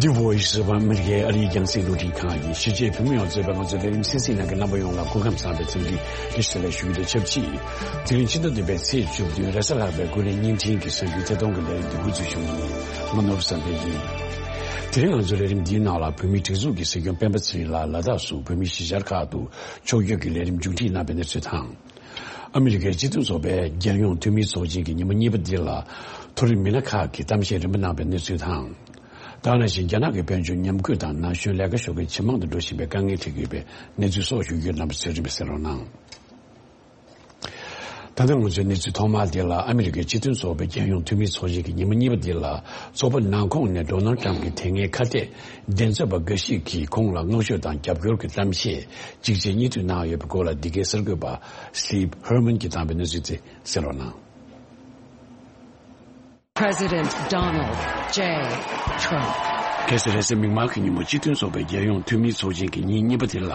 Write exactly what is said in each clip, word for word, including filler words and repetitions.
The Voice of America ཨ་རིའི་རྒྱང་སྲིང་རླུང་འཕྲིན་ཁང་གི་གཞིས་བྱེས་བོད་མི་ཡོངས་གཙོས་པའི་ང་ཚོའི་ལས་རིམ་གསན་གཟིགས་གནང་མཁན་རྣམ་པ་ཡོངས་ལ་སྐུ་ཁམས་བཟང་བའི་འཚམས་འདྲི་བཀྲ་ཤིས་བདེ་ལེགས་ཞུ་རྒྱུ་དང་ཆབས་ཅིག་དེ་རིང་ཕྱི་ཟླ་བདུན་པའི་ཚེས་བཅུ་བདུན་རེས་གཟའ་ལྷག་པའི་ཀུན་གླེང་བརྙན་འཕྲིན་གྱི་གསར་འགྱུར་ཐད་གཏོང་གི་ལས་རིམ་འདི་འགོ་འཛུགས་ཞུ་མཁན་ཡིན། ང་ནོར་བུ་བསམ་འཕེལ་ཡིན། དེ་རིང་ང་ཚོའི་ལས་རིམ་འདིའི་ནང་ལ་བོད་མིའི་སྒྲིག་འཛུགས་ཀྱི་སྲིད་སྐྱོང་སྤེན་པ་ཚེ་རིང་ལགས་ལ་དྭགས་སུ་བོད་མིའི་གཞིས་ཆགས་ཁག་ཏུ་ཕྱོགས་བསྐྱོད་ཀྱི་ལས་རིམ་མཇུག་སྒྲིལ་གནང་བའི་གནས་ཚུལ་དང་། ཨ་མི་རི་ཀའི་སྤྱི་མཐུན་ཚོགས་པའི་རྒྱལ་ཡོངས་འཐུས་མིའི་ཚོགས་ཆེན་གྱི་ཉིན་མོ་གཉིས་པ་འདི་ལ་མཐོ་རིམ་མི་སྣ་ཁག་གིས་གཏམ་བཤད་རིམ་པ་གནང་བའི་གནས་ཚུལ་དང་། ད་ག་ནང་བཞིན་རྒྱ་ནག་གི་དཔལ་འབྱོར་ཉམས་རྒུད་དང་ན་གཞོན་ལས་ཀ་ཞོགས་ཀས་ཇེ་མང་དུ་འགྲོ་བཞིན་པའི་དཀའ་ངལ་འཕྲད་ཀྱི་ཡོད་པའི་གནས་ཚུལ་སོགས་ཞུ་རྒྱུ། རྣམ་པ་ཚོས་རིམ་པས་གསན་རོགས་གནང་། ད་ལྟ་ང་ཚོའི་གནས་ཚུལ་ཐོག་མ་དེ་ལ། ཨ་མི་རི་ཀའི་སྤྱི་མཐུན་ཚོགས་པའི་རྒྱལ་ཡོངས་འཐུས་མིའི་ཚོགས་ཆེན་གྱི་ཉིན་མོ་གཉིས་པ་འདི་ལ། ཚོགས་པ་ནང་ཁོངས་ནས་ཌོ་ནལ་ཊམ་གྱི་དེ་སྔའི་ཁ་གཏད་འགྲན་རྩོད་པ་འགའ་ཞིག་གིས་ཁོང་ལ་བསྔགས་བརྗོད་དང་རྒྱབ་སྐྱོར་གྱི་གཏམ་བཤད་གཅིག་རྗེས་གཉིས་མཐུད་གནང་ཡོད་པའི་སྐོར་ལ། འདི་གའི་གསར་འགོད་པ་Steve Herman གྱིས་བཏང་བའི་གནས་ཚུལ་དེ་གསན་རོགས་གནང་། President Donald J Trump. གལ་སྲིད་རེས་གཟའ་མིག་དམར་གྱི་ཉིན་མོ་སྤྱི་མཐུན་ཚོགས་པའི་རྒྱལ་ཡོངས་འཐུས་མིའི་ཚོགས་ཆེན་གྱི་ཉིན་གཉིས་པ་དེ་ལ།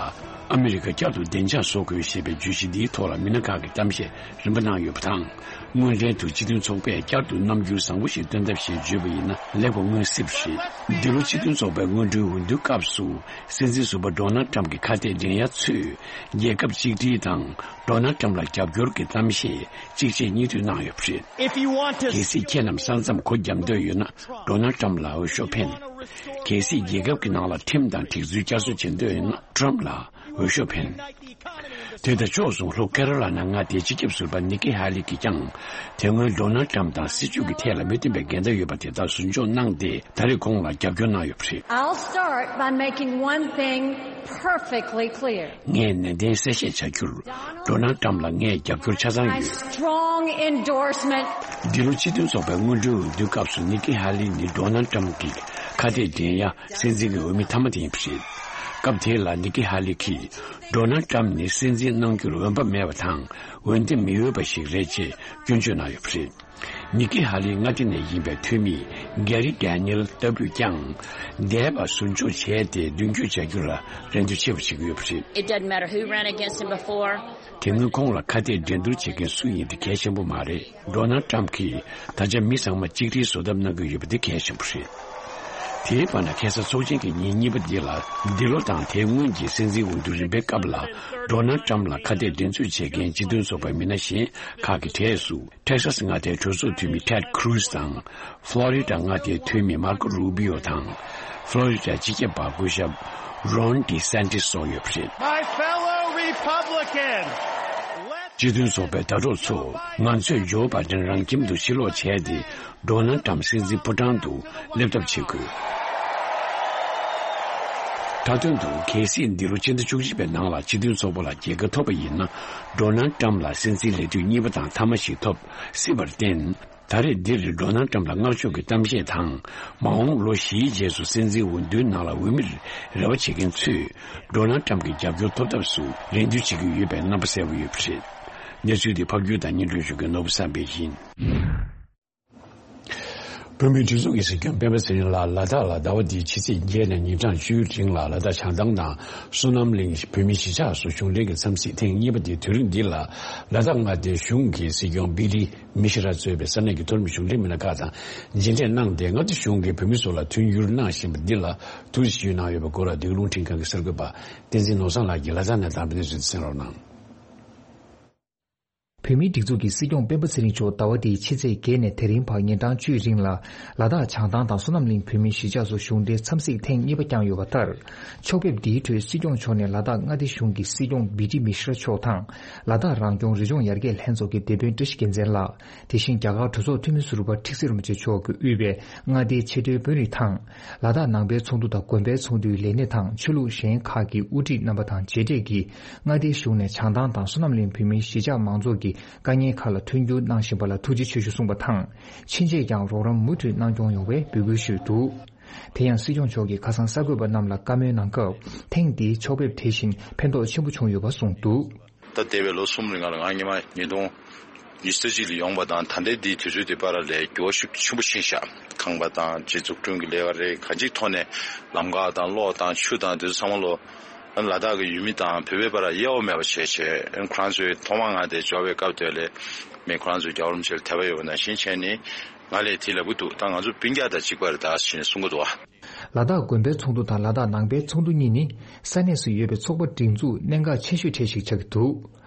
ཨ་མི་རི་ཀ་བསྐྱར་དུ་བདེ་འཇགས་བཟོ་དགོས་ཞེས་པའི་བརྗོད་གཞི་འདིའི་ཐོག་ལ་མི་སྣ་ཁག་གིས་གཏམ་བཤད་རིམ་པ་གནང་ཡོད་པ་དང་། དངོས་འབྲེལ་དུ་སྤྱི་མཐུན་ཚོགས་པས་བསྐྱར་དུ་རྣམ་འགྱུར་བཟང་པོ་ཞིག་སྟོན་ཐབས་ཞེས་བརྗོད་པ་ཡིན་ན་ལེགས་པ་མངོན་སྲིད་པ་རེད། འདི་ལོ་སྤྱི་མཐུན་ཚོགས་པའི་སྔོན་འགྲོའི་འོས་བསྡུའི་སྐབས་སུ། སྲིད་འཛིན་ཟུར་པ་ཌོ་ནལ་ཊམ་གྱི་ཁ་གཏད་འགྲན་ཡ་ཚོས། རྒྱལ་ཁབ་གཅིག་སྒྲིལ་དང་། ཌོ་ནལ་ཊམ་ལ་རྒྱབ་སྐྱོར་གྱི་གཏམ་བཤད་གཅིག་རྗེས་གཉིས་མཐུད་གནང་ཡོད་པ་རེད། If you want to གལ་སྲིད་ཁྱེད་རྣམས་ས་མཚམས་སྒོ་བརྒྱབ་འདོད་ཡོད་ན། ཌོ་ནལ་ཊམ་ལ་འོས་ཤོག་འཕེན། གལ་སྲིད་རྒྱལ་ཁབ་ཀྱི་ནང་ལ་ཁྲིམས་དང་སྒྲིག་འཛུགས་བསྐྱར་གསོ་བྱེད་འདོད་ཡོད་ན། ཊམ་ལ་འོས་ཤོག་འཕེན། དེ་དང་ཕྱོགས་མཚུངས། ལྷོ་ཀེ་རོ་ལ་ན་མངའ་སྡེའི་སྤྱི་ཁྱབ་ཟུར་པ་ནི་ཀི་ཧ་ལི་གིས་ཀྱང་དེ་སྔོན་ཌོ་ནལ་ཊམ་དང་སྲིད་ཇུས་ཀྱི་ཐད་ལ་མི་མཐུན་པའི་འགལ་ཟླ་ཡོད་པ་དེ་དག་ཟུར་འཇོག་གནང་སྟེ། ད་རེས་ཁོང་ལ་རྒྱབ་སྐྱོར་གནང་ཡོད་པ་རེད། I'll start by making one thing perfectly clear. ངས་ནན་ཏན་གསལ་བཤད་བྱ་རྒྱུར། ཌོ་ནལ་ཊམ་ལ་ངས་རྒྱབ་སྐྱོར་ཆ་ཚང་ཡོད། Strong endorsement. འདི་ལོ་སྤྱི་མཐུན་ཚོགས་པའི་སྔོན་འགྲོའི་འོས་བསྡུའི་སྐབས་སུ་ནི་ཀི་ཧ་ལི་ནི་ཌོ་ནལ་ཊམ་གྱི་ཁ་གཏད་འགྲན་ཡ་སྲིད་འཛིན་གྱི་འོས་མི་མཐའ་མ་དེ་ཡིན་པ་རེད། སྐབས་དེ་ལ་ནི་ཀི་ཧ་ལི་གིས་ཌོ་ནལ་ཊམ་ནི་སྲིད་འཛིན་གནང་རྒྱུར་འོས་འབབ་མེད་པ་དང་འོས་འདེམས་མི་འོས་པ་ཞིག་རེད་ཅེས་སྐྱོན་བརྗོད་གནང་ཡོད་པ་རེད། ནི་ཀི་ཧ་ལིའི་མངའ་སྡེ་ནས་ཡིན་པའི་འཐུས་མི་གྷེ་རི་ཌེ་ནི་ཨེལ་ལྟ་བུས་ཀྱང་འདས་པ་ཟུར་འཇོག་བྱས་ཏེ་མདུན་སྐྱོད་བྱ་རྒྱུ་ལ་རེ་འདུན་ཆེ་བ་བྱེད་ཀྱི་ཡོད་པ་རེད། It doesn't matter who ran against him before. དེ་སྔོན་ཁོང་ལ་ཁ་གཏད་འགྲན་བསྡུར་བྱེད་མཁན་སུ་ཡིན་དེ་གལ་ཆེན་པོ་མ་རེད། ཌོ་ནལ་ཊམ་གྱིས་ད་ཆ་མི་ཚང་མ་གཅིག་སྒྲིལ་བཟོ་ཐབས་གནང་གི་ཡོད་པ་དེ་གལ་ཆེན་པོ་རེད། དེའི་བར་ན་ཁ་སང་ཚོགས་ཆེན་གྱི་ཉིན་གཉིས་པ་འདི་ལ། འདི་ལོ་དང་དེའི་སྔོན་གྱི་སྲིད་འཛིན་འོས་བསྡུ་རིམ་པའི་སྐབས་ལ་ཌོ་ནལ་ཊམ་ལ་ཁ་གཏད་འགྲན་རྩོད་བྱེད་མཁན་སྤྱི་མཐུན་ཚོགས་པའི་མི་སྣ་གཞན་ཁག་གི་གྲས་སུ། ཊེག་སཱས་མངའ་སྡེའི་གྲོས་ཚོགས་འཐུས་མི་ཊེཌ་ཁུ་རུ་ཛི་དང་། ཕློ་རི་ཌ་མངའ་སྡེའི་འཐུས་མི་མར་ཀོ་རུ་བྷི་ཡོ་དང་། ཕློ་རི་ཌ་སྤྱི་ཁྱབ་པ་སྐུ་ཞབས་རོན་ཌི་སན་ཊི་སི་སོགས་ཡོད་པ་རེད། My fellow Republicans, let's སྤྱི་མཐུན་ཚོགས་པའི་ཟླ་གྲོགས་ཚོ། ང་ཚོས་ཇོ་བྷའི་ཌེན་རང་ཁྱིམ་དུ་ཕྱིར་ལོག་བྱས་ཏེ། ཌོ་ནལ་ཊམ་སྲིད་འཛིན་ཕོ་བྲང་དུ་སླེབས་ཐབས་བྱེད་དགོས། མཐའ་དོན་དུ། གལ་སྲིད་འདི་ལོ་ཕྱི་ཟླ་བཅུ་གཅིག་པའི་ནང་ལ་སྤྱི་མཐུན་ཚོགས་པ་ལ་རྒྱལ་ཁ་ཐོབ་པ་ཡིན་ན། ཌོ་ནལ་ཊམ་ལ་སྲིད་འཛིན་ལས་དུས་གཉིས་པ་དང་མཐའ་མ་ཞིག་ཐོབ་སྲིད་པར་བརྟེན། ད་རེས་འདིར་ཌོ་ནལ་ཊམ་ལ་བསྔགས་བརྗོད་ཀྱི་གཏམ་བཤད་དང་། མ་འོངས་ལོ་བཞིའི་རྗེས་སུ་སྲིད་འཛིན་འོས་བསྡུའི་ནང་ལ་འོས་མིར་རེ་བ་བྱེད་མཁན་ཚོས། ཌོ་ནལ་ཊམ་གྱི་རྒྱབ་སྐྱོར་ཐོབ་ཐབས་སུ་རེ་འདུན་བྱེད་ཀྱི་ཡོད་པའི་རྣམ་པ་གསལ་པོ་ཡོད་པ་རེད། གནས་ཚུལ་འདི་ཕབ་སྒྱུར་དང་སྙན་སྒྲོན་ཞུ་མཁན་ནོར་བུ་བསམ་འཕེལ་ཡིན། བོད་མིའི་སྒྲིག་འཛུགས་ཀྱི་སྲིད་སྐྱོང་སྤེན་པ་ཚེ་རིང་ལགས་ལ་དྭགས་ལ་ཟླ་བ་འདིའི་ཕྱི་ཚེས་བརྒྱད་ནས་ཉིན་གྲངས་བཅུའི་རིང་ལ་ལ་དྭགས་བྱང་ཐང་དང་བསོད་ནམས་གླིང་བོད་མིའི་གཞིས་ཆགས་སུ་གཞུང་འབྲེལ་གྱི་འཚམས་གཟིགས་ཐེངས་གཉིས་པ་འདི་དུས་རིང་འདི་ལ་ལ་དྭགས་མངའ་སྡེའི་གཞུང་གི་སྲིད་སྐྱོང་བི་ཏི་མི་ཤི་ར་གཙོས་པའི་ས་གནས་ཀྱི་མཐོ་རིམ་གཞུང་འབྲེལ་མི་སྣ་ཁག་དང་མཇལ་འཕྲད་གནང་སྟེ། མངའ་སྡེ་གཞུང་གིས་བོད་མི་ཚོ་ལ་མཐུན་འགྱུར་གནང་བཞིན་པ་འདི་ལ་ཐུགས་རྗེ་ཆེ་ཞུས་གནང་ཡོད་པའི་སྐོར་ལ། འདི་ག་རླུང་འཕྲིན་ཁང་གི་གསར་འགོད་པ་བསྟན་འཛིན་ནོར་བཟང་ལགས་ཀྱིས་ལ་དྭགས་ནས་བཏང་བའི་གནས་ཚུལ་དེ་གསན་རོགས་གནང་། བོད་མིའི་སྒྲིག་འཛུགས་ཀྱི་སྲིད་སྐྱོང་སྤེན་པ་ཚེ་རིང་མཆོག་ཟླ་བ་འདིའི་ཕྱི་ཚེས་བརྒྱད་ནས་དེ་རིང་བར་ཉིན་གྲངས་བཅུའི་རིང་ལ་ལ་དྭགས་བྱང་ཐང་དང་བསོད་ནམས་གླིང་བོད་མིའི་གཞིས་ཆགས་སུ་གཞུང་འབྲེལ་འཚམས་གཟིགས་ཐེངས་གཉིས་པ་བསྐྱངས་ཡོད་པ་ལྟར། ཕྱོགས་ཕེབས་འདིའི་ཁྲོད་སྲིད་སྐྱོང་མཆོག་ནས་ལ་དྭགས་མངའ་སྡེ་གཞུང་གི་སྲིད་སྐྱོང་བི་ཏི་མི་ཤི་ར་མཆོག་དང་། ལ་དྭགས་རང་སྐྱོང་རི་ལྗོངས་ཡར་རྒྱས་ལྷན་ཚོགས་ཀྱི་སྡེ་དཔོན་བཀྲ་ཤིས་རྒྱལ་མཚན་ལགས། དེ་བཞིན་རྒྱ་གར་གྲོས་ཚོགས་འཐུས་མི་ཟུར་པ་ཁྲི་ཚེ་རིན་པོ་ཆེ་མཆོག་གིས་དབུས་པའི་མངའ་སྡེའི་ཆེས་མཐོའི་དཔོན་རིགས་དང་། ལ་དྭགས་ནང་པའི་ཚོགས་འདུ་དང་དགོན་པའི་ཚོགས་འདུའི་ལས་སྣེ་དང་ཆོས་ལུགས་གཞན་ཁག་གི་དབུ་ཁྲིད་རྣམ་པ་དང་མཇལ་འཕྲད་ཀྱིས། མངའ་སྡེའི་གཞུང་ནས་བྱང་ཐང་དང་བསོད་ནམས་གླིང་བོད་མིའི་གཞིས་ཆགས་མང་ཚོགས་ཀྱི་དཀའ་ངལ་ཁག་ལ་མཐུན་འགྱུར་གནང་བཞིན་པ་ལ་ཐུགས་རྗེ་ཆེ་ཞུ་གསུངས་པ་དང་། ཕྱིན་ཆད་ཀྱང་རོགས་རམ་མུ་མཐུད་གནང་སྐྱོང་ཡོང་བའི་འབོད་སྐུལ་ཞུས་འདུག། དེ་ཡང་སྲིད་སྐྱོང་མཆོག་གིས་ཁ་སང་གསར་འགོད་པ་རྣམས་ལ་བཀའ་མོལ་གནང་སྐབས། ཐེངས་འདིའི་ཕྱོགས་ཕེབས་དེ་བཞིན་ཕན་ཐོགས་ཆེན་པོ་བྱུང་ཡོད་པ་གསུངས་འདུག། ད་འདས་པའི་ལོ་གསུམ་རིང་ལ་ང་སྔོན་མ་ཉིས་སྟོང་ཉི་ཤུ་རྩ་གཅིག་ལ་ཡོང་བ་དང་། ད་ལྟའི་འདིའི་དུས་ཚོད་འདི་བར་ལ་འགྱུར་བ་ཤུགས་ཆེན་པོ་ཕྱིན་ཤག། ཁང་པ་དང་སྤྱི་ཚོགས་སྐྲུན་གྱི་ལས་ཀ་རེད། གང་ཅིའི་ཐོག་ནས་ལམ་ཁ་དང་གློག་དང་ཆུ་དང་དེ་ཚོ་ཚང་མ་ལོ། ལ་དྭགས་ཀྱི་ཡུལ་མི་དང་བོད་པའི་བར་དབྱེ་བ་མེད་པ་བྱས་བྱས། ཁོ་རང་ཚོའི་ཐོག་མར་ང་དེ་འབྱོར་བའི་སྐབས་དེ་ལ་མི་ཁོ་རང་ཚོའི་རྒྱལ་བ་རིན་པོ་ཆེ་ལ་དད་པ་ཡོད་པ་ནང་བཞིན་བྱས་ནས། ང་ལས་དེ་ལབ་གི་འདུག་ད་ང་ཚོ་སྤུན་ཀྱག་དང་གཅིག་པ་རེད་ད་ཟེར་ནས་གསུང་གི་འདུག་ཨ། ལ་དྭགས་དགོན་པའི་ཚོགས་འདུ་དང་ལ་དྭགས་ནང་པའི་ཚོགས་འདུ་གཉིས་ནི་ས་གནས་སུ་ཡོད་པའི་ཚོགས་པ་སྒྲིག་འཛུགས་གནད་འགག་ཆེ་ཤོས་གྲས་ཤིག་ཆགས་ཀྱི་འདུག་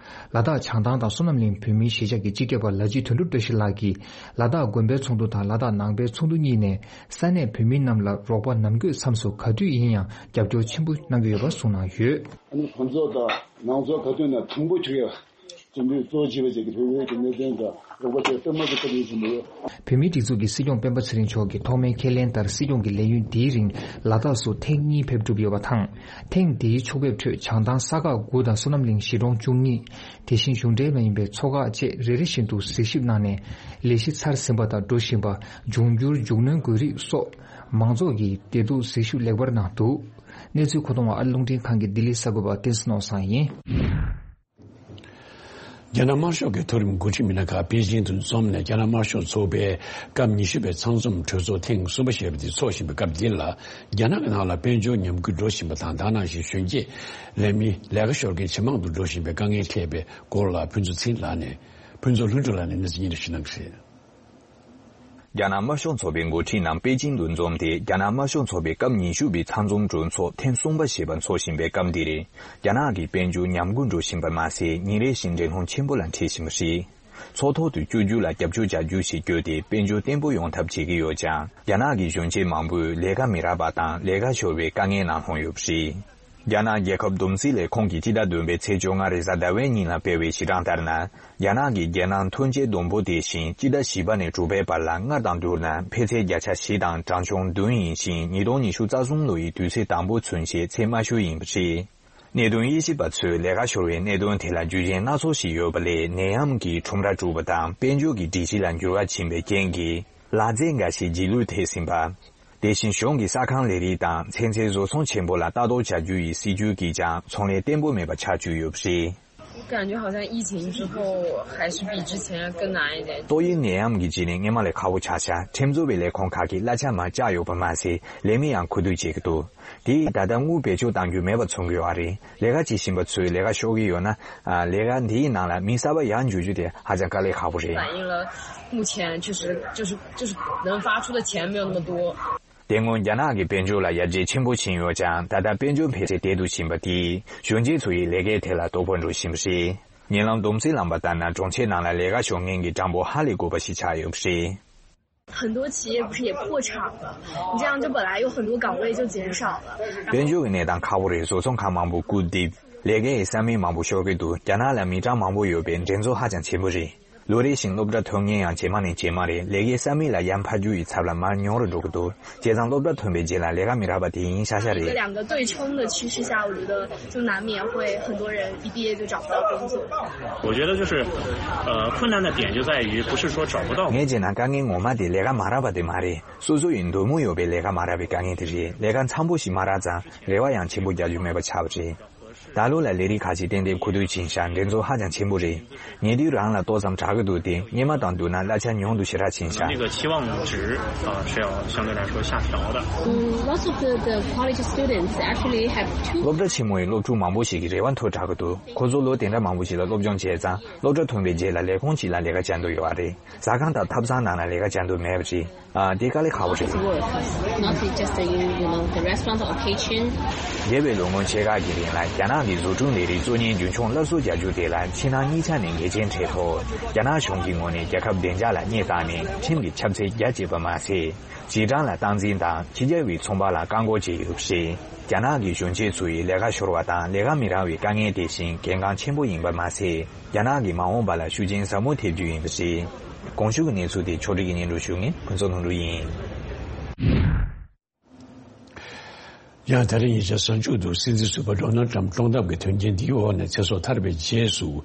ལ་དྭགས་བྱང་ཐང་དང་བསོད་ནམས་གླིང་བོད་མིའི་གཞིས་ཆགས་ཀྱི་སྤྱི་ཁྱབ་པ་ལ་སྤྱི་དོན་གྲུབ་བཀྲ་ཤིས་ལགས་ཀྱིས་ལ་དྭགས་དགོན་པའི་ཚོགས་འདུ་དང་ལ་དྭགས་ནང་པའི་ཚོགས་འདུ་གཉིས་ནས་ས་གནས་བོད་མི་རྣམས་ལ་རོགས་པ་ནམ་དགོས་མཚམས་སུ་ག་དུས་ཡིན་ཡང་རྒྱབ་སྐྱོར་ཆེན་པོ་གནང་གི་ཡོད་པ་གསུངས་གནང་ཡོད། ཨ་ནི་ཕོན་ཚོགས་དང་ནང་ཚོགས་ག་དུས་ནས་དང་པོ་བྱུང་ཡོད། སྤྱི་འཐུས་གཙོ་བོ་བྱས་པ་བཅས་ཀྱི་བོད་བོད་ཀྱི་གནད་དོན་དང་རོགས་པ་བཅས་གཏོར་མ་གི་སྟབས་ཡིན་བཞིན་པ་ཡོད། བོད་མིའི་སྒྲིག་འཛུགས་ཀྱི་སྲིད་སྐྱོང་སྤེན་པ་ཚེ་རིང་མཆོག་གིས་ཐོག་མའི་ཁས་ལེན་ལྟར་སྲིད་སྐྱོང་གི་ལས་ཡུན་འདིའི་རིང་ལ་དྭགས་སུ་ཐེངས་གཉིས་ཕེབས་གྲུབ་ཡོད་པ་དང་། ཐེངས་འདིའི་ཕྱོགས་ཕེབས་ཁྲོད་བྱང་ཐང་ས་ཁག་དགུ་དང་བསོད་ནམས་གླིང་གཞིས་གྲོང་བཅུ་གཉིས། དེ་བཞིན་གཞུང་འབྲེལ་མ་ཡིན་པའི་ཚོགས་ཁག་བཅས་རེ་རེ་བཞིན་དུ་གཟིགས་ཞིབ་གནང་ནས་ལས་གཞི་ཚར་ཟིན་པ་དང་འགྲོ་བཞིན་པ། འབྱུང་འགྱུར་མཇུག་གནོན་དགོས་རིགས་སོགས་མང་ཚོགས་ཀྱི་བདེ་སྡུག་གཟིགས་ཞིབ་ལེགས་པར་གནང་འདུག་གནས་ཚུལ་མཁོ་གཏོང་བ་ཨ་རི་རླུང་འཕྲིན་ཁང་གི་ལྡི་ལི་གསར་འགོད་པ་བསྟན་འཛིན་ནོར་བཟང་ཡིན། རྒྱ་ནག་དམར་ཤོག་གི་མཐོ་རིམ་འགོ་ཁྲིད་མི་སྣ་ཁག་པེ་ཅིང་དུ་འཛོམས་ནས་རྒྱ་ནག་དམར་ཤོག་ཚོགས་པའི་སྐབས་ཉི་ཤུ་པའི་ཚང་འཛོམས་གྲོས་ཚོགས་ཐེངས་གསུམ་པ་ཞེས་པ་དེ་འཚོགས་བཞིན་པའི་སྐབས་འདི་ལ། རྒྱ་ནག་གི་ནང་ལ་དཔལ་འབྱོར་ཉམས་རྒུད་འགྲོ་བཞིན་པ་དང་། ད་ནང་བཞིན་གཞོན་སྐྱེས་ལས་མི་ལས་ཀ་ཤོར་མཁན་ཇེ་མང་དུ་འགྲོ་བཞིན་པའི་དཀའ་ངལ་འཕྲད་པའི་སྐོར་ལ་ཕུན་ཚོགས་ཚེ་རིང་ལགས་ནས་ཕུན་ཚོགས་ལྷུན་གྲུབ་ལགས་ནས་གནས་ཚུལ་སྙན་སྒྲོན་ཞུ་གནང་གི་རེད། རྒྱ་ནག་དམར་ཤོག་ཚོགས་པའི་འགོ་ཁྲིད་རྣམས་པེ་ཅིང་དུ་འཛོམས་ཏེ། རྒྱ་ནག་དམར་ཤོག་ཚོགས་པའི་སྐབས་ཉི་ཤུ་པའི་ཚང་འཛོམས་གྲོས་ཚོགས་ཐེངས་གསུམ་པ་ཞེས་པ་འཚོགས་བཞིན་པའི་སྐབས་འདིར། རྒྱ་ནག་གི་དཔལ་འབྱོར་ཉམས་རྒུད་འགྲོ་བཞིན་པ་མ་ཟད། ཉིན་རེ་བཞིན་འགྲན་སློང་ཆེན་པོ་ལ་འཕྲད་བཞིན་པ་རེད། ཚོགས་ཐོག་ཏུ་བསྐྱོད་རྒྱུ་ལ་རྒྱབ་སྐྱོར་བྱ་རྒྱུ་ཞེས་བསྐྱོད་དེ། དཔལ་འབྱོར་བརྟན་པོ་ཡོང་ཐབས་བྱེད་ཀྱི་ཡོད་ཀྱང་། རྒྱ་ནག་གི་གཞོན་སྐྱེས་མང་པོས་ལས་ཀ་མི་རག་པ་དང་ལས་ཀ་ཤོར་བའི་དཀའ་ངལ་ནང་ལྷུང་ཡོད་པ་རེད། རྒྱ་ནག་རྒྱལ་ཁབ་བསྡོམས་རྩིས་ལས་ཁུངས་ཀྱིས་སྤྱི་ཟླ་བདུན་པའི་ཚེས་བཅོ་ལྔ་རེས་གཟའ་ཟླ་བའི་ཉིན་ལ་སྤེལ་བའི་གཞི་གྲངས་ལྟར་ན། རྒྱ་ནག་གི་རྒྱལ་ནང་ཐོན་སྐྱེད་བསྡོམས་པོ་དེ་བཞིན་སྤྱི་ཟླ་བཞི་པ་ནས་དྲུག་པའི་བར་ལ་སྔར་དང་བསྡུར་ན་འཕེལ་ཚད་བརྒྱ་ཆ་བཞི་དང་གྲངས་ཆུང་བདུན་ཡིན་ཞིང་། ཉིས་སྟོང་ཉི་ཤུ་རྩ་གསུམ་ལོ་ཡི་དུས་ཚོད་དང་པོ་ཚུན་ཆད་ཚད་དམའ་ཤོས་ཡིན་པ་རེད། གནད་དོན་དབྱེ་ཞིབ་པ་ཚོས་ལས་ཀ་ཤོར་བའི་གནད་དོན་དེ་ལ་རྒྱུ་རྐྱེན་སྣ་ཚོགས་ཤིག་ཡོད་པ་ལས། ནད་ཡམས་ཀྱི་ཁྲོམ་ར་དཀྲུགས་པ་དང་དཔལ་འབྱོར་གྱི་སྒྲིག་གཞི་ལ་འགྱུར་བ་ཕྱིན་པའི་རྐྱེན་གྱིས་ལག་རྩལ་འགའ་ཞིག་རྗེས་ལུས་ཐེབས་ཟིན་པ། དེ་བཞིན་གཞུང་གིས་ས་ཁང་ལས་རིགས་དང་ཚན་རྩལ་བཟོ་ཚོང་ཆེན་པོ་ལ་ལྟ་རྟོག་བྱ་རྒྱུ་ཡི་སྲིད་ཇུས་ཀྱིས་ཀྱང་ཚོང་ལས་བརྟན་པོ་མེད་པ་ཆགས་བཅུག་ཡོད་པ་རེད། 我感觉好像疫情之后还是比之前更难一点。 ཏོག་དབྱིབས་ནད་ཡམས་ཀྱི་རྗེས་ནས་སྔོན་མ་ལས་ཁག་པོ་ཆགས་ཤག་ཁྲིམས་བཟོ་བའི་ལས་ཁུངས་ཁག་གིས་གླ་ཆ་མར་བཅག་ཡོད་པ་མ་ཟད། ལས་མི་ཡང་ཁུ་བསྡུ་བྱེད་ཀྱི་འདུག་དེས་ད་ལྟ་དངུལ་བེད་སྤྱོད་གཏང་རྒྱུ་མེད་པ་མཚོན་གྱི་ཡོད་རེད། ལས་ཀ་བྱེད་བཞིན་པ་ཚོས་ལས་ཀ་ཤོར་གྱི་ཡོད་ན། ལས་ཀ་འདིའི་ནང་ལ་མི་གསར་པ་ཡར་འཇུག་རྒྱུ་དེ་ཧ་ཅང་དཀའ་ལས་ཁག་པོ་རེད། 反映了目前确实就是就是能发出的钱没有那么多。 དེ་སྔོན་རྒྱ་ནག་གི་དཔལ་འབྱོར་ལ་ཡར་རྒྱས་ཆེན་པོ་ཕྱིན་ཡོད་ཀྱང་། ད་ལྟ་དཔལ་འབྱོར་འཕེལ་ཚད་དལ་དུ་ཕྱིན་པ་དེས་གཞོན་སྐྱེས་ཚོ་ཡི་ལས་ཀའི་ཐད་ལ་དོ་ཕོག་འགྲོ་བཞིན་པ་རེད། ཉེ་ལམ་བསྡོམས་རྩིས་བླངས་པ་ལྟར་ན། གྲོང་ཁྱེར་ནང་ལ་ལས་ཀ་ཤོར་མཁན་གྱི་གྲངས་འབོར་ཧ་ལས་དགོས་པ་ཞིག་ཆགས་ཡོད་པ་རེད། 很多企业不是也破产了？你这样就本来有很多岗位就减少了。 དཔལ་འབྱོར་གྱི་གནས་སྟངས་ཁག་པོ་རེད། བཟོ་ཚོང་ཁང་མང་པོ་སྐུར་རྡིབ། ལས་ཀའི་ས་མིག་མང་པོ་ཤོར་གྱི་འདུག་རྒྱ་ནག་ལ་མི་གྲངས་མང་པོ་ཡོད་པས་འགྲན་རྩོད་ཧ་ཅང་ཆེན་པོ་རེད། ལོ་རེ་བཞིན་སློབ་གྲྭ་ཐོན་མཁན་ཡང་ཇེ་མང་ནས་ཇེ་མང་རེད། ལས་ཀའི་ས་མིག་ལ་ཡར་འཕར་རྒྱུ་ཡི་ཚབ་ལ་མར་ཉུང་རུ་འགྲོ་གི་འདུག་བྱས་ཙང་སློབ་གྲྭ་ཐོན་པའི་རྗེས་ལ་ལས་ཀ་མི་རག་པ་དེ་ཡིན་ཤག་ཤག་རེད། 两个对冲的趋势下，我觉得就难免会很多人一毕业就找不到工作。 我觉得就是，呃，困难的点就在于不是说找不到。 ངས་བྱས་ན་དཀའ་ངལ་ངོ་མ་དེ་ལས་ཀ་མ་རག་པ་དེ་མ་རེད། སོ་སོ་ཡི་འདོད་མོས་ཡོད་པའི་ལས་ཀ་མ་རག་པའི་དཀའ་ངལ་དེ་རེད། ལས་ཀ་འཚམ་པོ་ཞིག་མ་རག་ཙང་རེ་བ་ཡང་ཆེན་པོ་རྒྱག་རྒྱུ་མེད་པ་ཆགས་པ་རེད། ད་ལོ་ལ་ལས་རིགས་ཁག་ཅིག་ཏན་ཏན་ཁུ་བསྡུ་ཕྱིན་ཤག་འགྲན་རྩོད་ཧ་ཅང་ཆེན་པོ་རེད། ཉེ་དུས་རང་ལ་ཏོག་ཙམ་དྲག་གི་འདུག་དེ་སྔོན་མ་དང་བསྡུར་ན་གླ་ཆ་ཉུང་དུ་ཞེ་དྲག་ཕྱིན་ཤག 那个期望值啊是要相对来说下调的。 Most of the, the college students actually have two. སློབ་གྲྭ་ཆེན་མོའི་སློབ་ཕྲུག་མང་པོ་ཞིག་གི་རེ་བ་མཐོ་དྲགས་ཀྱི་འདུག་ཁོ་ཚོ་ལོ་དེ་འདྲ་མང་པོ་ཞིག་ལ་སློབ་སྦྱོང་བྱས་ཙང་། སློབ་གྲྭ་ཐོན་པའི་རྗེས་ལ་ལས་ཁུངས་ཤིག་ལ་ལས་ཀ་བྱ་འདོད་ཡོད་པ་རེད། ཟ་ཁང་དང་ཐབ་ཚང་ནང་ལ་ལས་ཀ་བྱ་འདོད་མེད་པ་རེད། ཨ། དེ་དཀའ་ལས་ཁག་པོ་རེད། Work, not just the, you know, the restaurant or kitchen. འདས་པའི་ལོ་ངོ་ཕྱེད་ཀ་གི་རིང་ལ་རྒྱ་ནག་གི་བཟོ་སྐྲུན་ལས་རིགས་གཙོ་གཉེར་རྒྱུན་འཁྱོངས་སླར་གསོ་རྒྱག་རྒྱུ་དེ་ལ་ཕྱི་ནང་གཉིས་ཆ་ནས་འགལ་རྐྱེན་འཕྲད་ཐོག་རྒྱ་ནག་གཞུང་གི་ངོས་ནས་རྒྱལ་ཁབ་བདེ་འཇགས་ལ་བསྙད་བཏང་ནས་ཁྲིམས་ཀྱི་ཁྱབ་ཚད་རྒྱ་བསྐྱེད་པ་མ་ཟད། རྗེས་འབྲང་ལ་སྟངས་འཛིན་དང་ཕྱི་རྒྱལ་བའི་ཚོང་པ་ལ་བཀག་འགོག་བྱས་ཡོད་པ་རེད། རྒྱ་ནག་གི་གཞོན་སྐྱེས་ཚོ་ཡི་ལས་ཀ་ཤོར་བ་དང་ལས་ཀ་མི་རག་པའི་དཀའ་ངལ་དེ་བཞིན་གལ་འགངས་ཆེན་པོ་ཡིན་པ་མ་ཟད། རྒྱ་ནག་གི་མ་འོངས་པ་ལ་ཤུགས་རྐྱེན་ཟབ་མོ་ཐེབས་རྒྱུ་ཡིན་པ་རེད། གོང་ཞུས་ཀྱི་གནས་ཚུལ་དེ་ཕྱོགས་སྒྲིག་གིས་སྙན་སྒྲོན་ཞུ་མཁན་ཕུན་ཚོགས་ལྷུན་གྲུབ་ཡིན། ཡང་ད་རིང་ཉེ་ཆར་གཟའ་མཇུག་ཏུ་སྲིད་འཛིན་ཟུར་པ་ཌོ་ནལ་ཊམ་བཀྲོངས་ཐབས་ཀྱི་དོན་རྐྱེན་འདིའི་འོག་ནས་ཚེ་སྲོག་ཐར་པའི་རྗེས་སུ།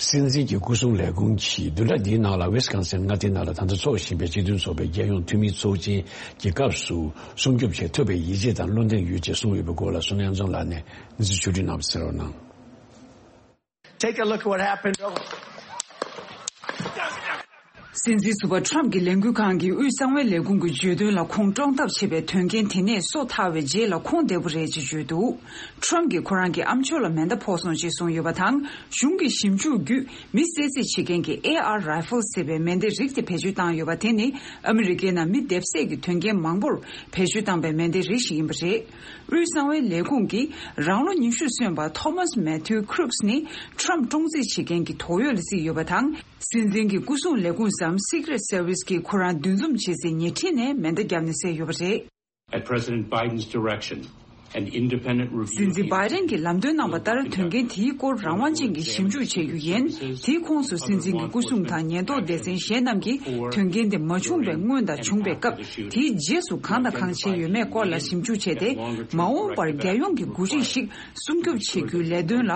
སྲིད་འཛིན་གྱི་སྐུ་སྲུང་ལས་ཁུངས་ཀྱིས་བདུན་ཕྲག་འདིའི་ནང་ལ་ཝི་སི་ཀོན་སིན་མངའ་སྡེའི་ནང་ལ་ད་ལྟ་འཚོགས་བཞིན་པའི་སྤྱི་མཐུན་ཚོགས་པའི་རྒྱལ་ཡོངས་འཐུས་མིའི་ཚོགས་ཆེན་གྱི་སྐབས་སུ་སྲུང་སྐྱོབ་བྱེད་ཐུབ་པའི་ཡིད་ཆེས་དང་བློ་འདེངས་ཡོད་ཅེས་གསུངས་ཡོད་པའི་སྐོར་ལ་བསོད་ནམས་དབྱངས་འཛོམས་ལགས་ནས་གནས་ཚུལ་ཕྱོགས་བསྒྲིགས་གནང་བ་གསན་རོགས་གནང་། སྲིད་འཛིན་ཟུར་པ་ཁྲོམ་གྱི་ལས་འགུལ་ཁང་གི་དབུས་གསང་བའི་ལས་ཁུངས་ཀྱིས་བརྗོད་དོན་ལ་ཁོང་བཀྲོངས་ཐབས་བྱས་པའི་དོན་རྐྱེན་དེ་ནས་སོ་ཐར་བའི་རྗེས་ལ་ཁོང་བདེ་པོ་རེད་ཅེས་བརྗོད་འདུག་ཁྲོམ་གྱིས་ཁོ་རང་གི་ཨ་མཆོག་ལ་མེ་མདའ་ཕོག་སོང་ཅེས་གསུངས་ཡོད་པ་དང་། གཞུང་གི་ཞིབ་འཇུག་བརྒྱུད་མི་བསད་རྩིས་བྱེད་མཁན་གྱི་ཨེ་ཨར་རའི་ཕལ་ཟེར་བའི་མེ་མདའི་རིགས་དེ་བེད་སྤྱོད་བཏང་ཡོད་པ་དེ་ནི་ཨ་མི་རི་ཀའི་ནང་མི་སྡེབ་བསད་ཀྱི་དོན་རྐྱེན་མང་པོར་བེད་སྤྱོད་བཏང་པའི་མེ་མདའི་རིགས་ཤིག་ཡིན་པ་རེད། དབུས་གསང་བའི་ལས་ཁུངས་ཀྱིས་རང་ལོ་ཉི་ཤུ་སོན་པ་ཐོ་མཱས་མེ་ཐིའུ་ཁུ་རུག་སི་ནི་ཁྲོམ་བཀྲོངས་རྩིས་བྱེད་མཁན་གྱི་དོགས་ཡོད་ལ་བརྩིས་ཡོད་པ་དང་། སྲིད་འཛིན་གྱི་སྐུ་སྲུང་ལས་ཁུངས་སམ་Secret Service གྱིས་ཁོ་རང་འདུ་འཛོམས་བྱེད་སའི་ཉེ་འཁྲིས་ནས་མེ་མདའ་བརྒྱབ་ནས་བསད་ཡོད་པ་རེད། At President Biden's direction, an independent review སྲིད་འཛིན་བྷའི་ཌེན་གྱིས་ལམ་སྟོན་གནང་བ་ལྟར་དོན་རྐྱེན་དེའི་སྐོར་རང་དབང་ཅན་གྱི་ཞིབ་འཇུག་བྱེད་རྒྱུ་ཡིན། དེའི་ཁོངས་སུ་སྲིད་འཛིན་གྱི་སྐུ་སྲུང་དང་ཉེན་རྟོག་སྡེ་ཚན་གཞན་རྣམས་ཀྱིས་དོན་རྐྱེན་དེ་མ་བྱུང་བའི་སྔོན་དང་བྱུང་བའི་སྐབས། དེའི་རྗེས་སུ་གང་དང་གང་བྱས་ཡོད་མེད་སྐོར་ལ་ཞིབ་འཇུག་བྱས་ཏེ། མ་འོངས་པར་རྒྱལ་ཡོངས་ཀྱི་འགོ་ཁྲིད་ཞིག་སྲུང་སྐྱོབ་བྱེད་རྒྱུའི་ལས་དོན་ལ་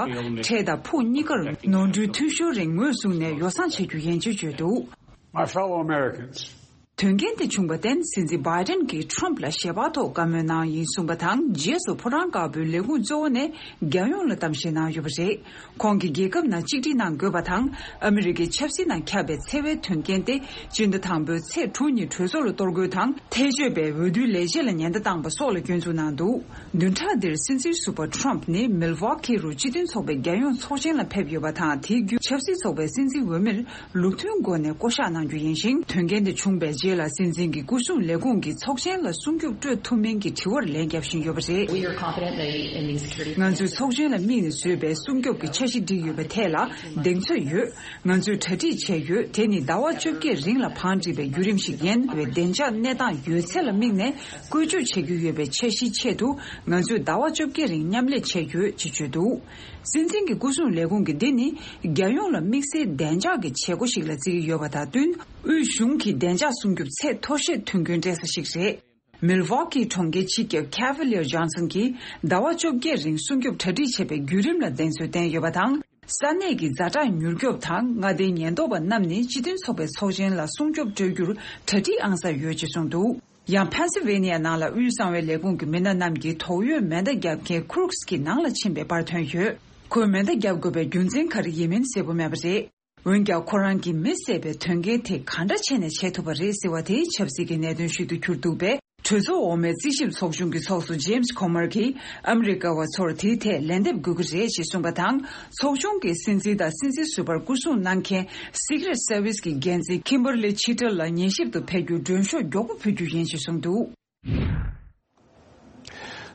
འཕྲལ་དང་ཕུགས་གཉིས་ཀར་ནོར་འཁྲུལ་འཐུས་ཤོར་རིང་ངོས་བཟུང་ནས་ཡོ་བསྲང་བྱེད་རྒྱུ་ཡིན་ཅེས་བརྗོད་འདུག My fellow Americans. དོན་རྐྱེན་དེ་བྱུང་བར་བརྟེན་སྲིད་འཛིན་བྷའི་ཌེན་གྱིས་ཁྲོམ་ལ་ཞལ་པར་ཐོག་བཀའ་མོལ་གནང་ཡིན་གསུངས་པ་དང་། རྗེས་སུ་ཕོ་བྲང་དཀར་པོའི་ལས་ཁུངས་གཙོ་བོ་ནས་རྒྱལ་ཡོངས་ལ་གཏམ་བཤད་གནང་ཡོད་པ་རེད། ཁོང་གིས་རྒྱལ་ཁབ་ནང་གཅིག་སྒྲིལ་གནང་དགོས་པ་དང་། ཨ་མི་རི་ཀའི་ཆབ་སྲིད་ནང་ཁྱབ་པའི་འཚེ་བའི་དོན་རྐྱེན་ཏེ་སྤྱི་ཟླ་དང་པོའི་ཚེས་དྲུག་ཉིན་གྲོས་ཚོགས་ལ་གཏོར་རྒོལ་དང་། ཐལ་ཆོད་པའི་འོས་བསྡུའི་ལས་བྱེད་ལ་ཉེན་བརྡ་བཏང་པ་སོགས་ལ་སྐྱོན་འཛུགས་གནང་འདུག་བདུན་ཕྲག་འདིར་སྲིད་འཛིན་ཟུར་པ་ཁྲོམ་ནི་མིལ་ཝོ་ཁི་རུ་སྤྱི་མཐུན་ཚོགས་པའི་རྒྱལ་ཡོངས་ཚོགས་ཆེན་ལ་ཕེབས་ཡོད་པ་དང་། དེའི་བརྒྱུད་ཆབ་སྲིད་ཚོགས་པའི་སྲིད་འཛིན་འོས་མིར་ལུགས་མཐུན་སྒོ་ནས་བསྐོ་གཞག་གནང་རྒྱུ་ཡིན་ཞིང་། དོན་རྐྱེན་དེ་བྱུང་བའི་རྗེས་ལ་སྲིད་འཛིན་གྱི་སྐུ་སྲུང་ལས་ཁུངས་ཀྱིས་ཚོགས་ཆེན་ལ་སྲུང་སྐྱོབ་སྤྲོད་ཐུབ་མིན་གྱི་དྲི་བར་ལན་བརྒྱབ་བཞིན་ཡོད་པ་རེད། We are confident that in these security ང་ཚོས་ཚོགས་ཆེན་ལ་དམིགས་ནས་བཟོས་པའི་སྲུང་སྐྱོབ་ཀྱི་འཆར་གཞི་བསྒྲིགས་ཡོད་པའི་ཐད་ལ་གདེང་ཚོད་ཡོད། ང་ཚོས་གྲ་སྒྲིག་བྱས་ཡོད། དེ་ནི་ཟླ་བ་བཅོ་བརྒྱད་རིང་ལ་བང་བསྒྲིགས་པའི་བརྒྱུད་རིམ་ཞིག་ཡིན། བའི་བདེ་འཇགས་གནས་སྟངས་ཡོད་ཚད་ལ་དམིགས་ནས་བཀོལ་སྤྱོད་བྱེད་རྒྱུ་ཡོད་པའི་འཆར་གཞིའི་ཆེད་དུ་ང་ཚོས་ཟླ་བ་བཅོ་བརྒྱད་རིང་མཉམ་ལས་བྱས་ཡོད་ཅེས་བརྗོད་འདུག་སྲིད་འཛིན་གྱི་སྐུ་སྲུང་ལས་ཁུངས་ཀྱིས་འདི་ནི་རྒྱལ་ཡོངས་ལ་དམིགས་བསལ་བདེ་འཇགས་ཀྱི་བྱེད་སྒོ་ཞིག་ལ་བརྩི་གི་ཡོད་པ་དང་བསྟུན། དབུས་གཞུང་གི་བདེ་འཇགས་སྲུང་སྐྱོབ་ཚད་མཐོ་ཤོས་མཐུན་རྐྱེན་སྤྲད་ས་ཞིག་རེད། མིལ་ཝོ་ཀིའི་གྲོང་ཁྱེར་སྤྱི་ཁྱབ་ཁེ་ཝི་ལི་ཡར་ཇོན་སན་གྱིས་ཟླ་བ་བཅོ་བརྒྱད་རིང་སྲུང་སྐྱོབ་གྲ་སྒྲིག་བྱས་པའི་བརྒྱུད་རིམ་ལ་གདེང་ཚོད་བསྟན་ཡོད་པ་དང་། ས་གནས་ཀྱི་ཛ་དྲག་མྱུར་སྐྱོབ་དང་མངའ་སྡེའི་ཉེན་རྟོག་པ་རྣམས་ནི་སྤྱི་མཐུན་ཚོགས་པའི་ཚོགས་ཆེན་ལ་སྲུང་སྐྱོབ་སྤྲོད་རྒྱུར་གྲ་སྒྲིག་ཨང་གསར་ཡོད་ཅེས་གསུངས་འདུག་ཡང་ཕེན་སིལ་ཝེ་ནི་ཡ་ནང་ལ་དབུས་གསང་བའི་ལས་ཁུངས་ཀྱི་མི་སྣ་རྣམས་ཀྱིས་དོགས་ཡོད་མེ་མདའ་བརྒྱབ་མཁན་ཁུ་རུག་སི་ཀྱི་ནང་ལ་ཕྱིན་པའི་པར་ཐོན་ཡོད། ཁོས་མེ་མདའ་བརྒྱབ་དགོས་པའི་རྒྱུ་མཚན་ག་རེ་ཡིན་མིན་གསལ་པོ་མེད་པ་རེད། འོན་ཀྱང་ཁོ་རང་གིས་མི་བསད་པའི་དོན་རྐྱེན་དེ་གང་འདྲ་བྱས་ནས་བྱས་ཐུབ་པ་རེད་ཟེར་བ་དེ་ཆབ་སྲིད་ཀྱི་གནད་དོན་ཞིག་ཏུ་གྱུར་འདུག་པས། གྲོས་ཚོགས་འོག་མའི་རྩིས་ཞིབ་ཚོགས་ཆུང་གི་ཚོགས་གཙོ་ཇེམ་སི་ཁོ་མར་གྱིས་ཨ་མི་རི་ཀ་བ་ཚོར་དེའི་ཐད་ལན་འདེབས་དགོས་ཀྱི་རེད་ཅེས་གསུངས་པ་དང་། ཚོགས་ཆུང་གི་སྲིད་འཛིན་དང་སྲིད་འཛིན་ཟུར་པར་སྐུ་སྲུང་གནང་མཁན་Secret Service གྱི་འགན་འཛིན་ཁིམ་བར་ལི་ཆི་ཊལ་ལ་ཉན་ཞིབ་ཏུ་ཕེབས་རྒྱུར་མགྲོན་ཤོག་མགྱོགས་པོ་ཕུལ་རྒྱུ་ཡིན་ཞེས་གསུངས་འདུག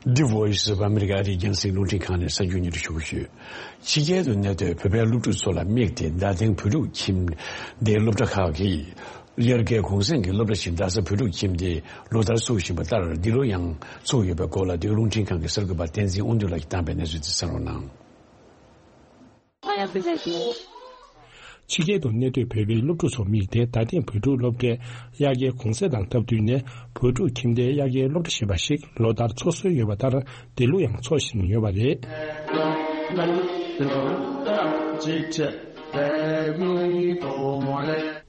The Voice of America ཨ་རིའི་རྒྱང་སྲིང་རླུང་འཕྲིན་ཁང་ནས་གསར་འགྱུར་སྙན་སྒྲོན་ཞུ་གི་ཡོད། ཕྱི་རྒྱལ་དུ་གནས་སྡོད་བོད་པའི་སློབ་ཕྲུག་ཚོ་ལ་དམིགས་ཏེ་རྡ་སྟེང་བོད་ཕྲུག་ཁྱིམ་སྡེའི་སློབ་གྲྭ་ཁག་གིས་དབྱར་ཁའི་གུང་སེང་གི་སློབ་གྲྭ་ཞིག་རྡ་ས་བོད་ཕྲུག་ཁྱིམ་སྡེས་ལོ་ལྟར་ཚུགས་བཞིན་པ་ལྟར་འདི་ལོ་ཡང་ཚུགས་ཡོད་པའི་སྐོར་ལ་བོད་ཀྱི་རླུང་འཕྲིན་ཁང་གི་གསར་འགོད་པ་བསྟན་འཛིན་དབང་འདུས་ལགས་ཀྱིས་བཏང་པའི་གནས་ཚུལ་དེ་གསན་རོགས་གནང་། ཕྱི་རྒྱལ་དུ་གནས་སྡོད་བོད་པའི་སློབ་ཕྲུག་ཚོ་དམིགས་ཏེ་རྡ་སྟེང་བོད་ཕྲུག་སློབ་གྲྭའི་དབྱར་ཁའི་གུང་སེང་དང་སྟབས་བསྟུན་ནས་བོད་ཕྲུག་ཁྱིམ་སྡེའི་དབྱར་ཁའི་སློབ་གྲྭ་ཞེས་པ་ཞིག་ལོ་ལྟར་འཚོགས་སྲོལ་ཡོད་པ་ལྟར་འདི་ལོ་ཡང་འཚོགས་བཞིན་ཡོད་པ་རེད།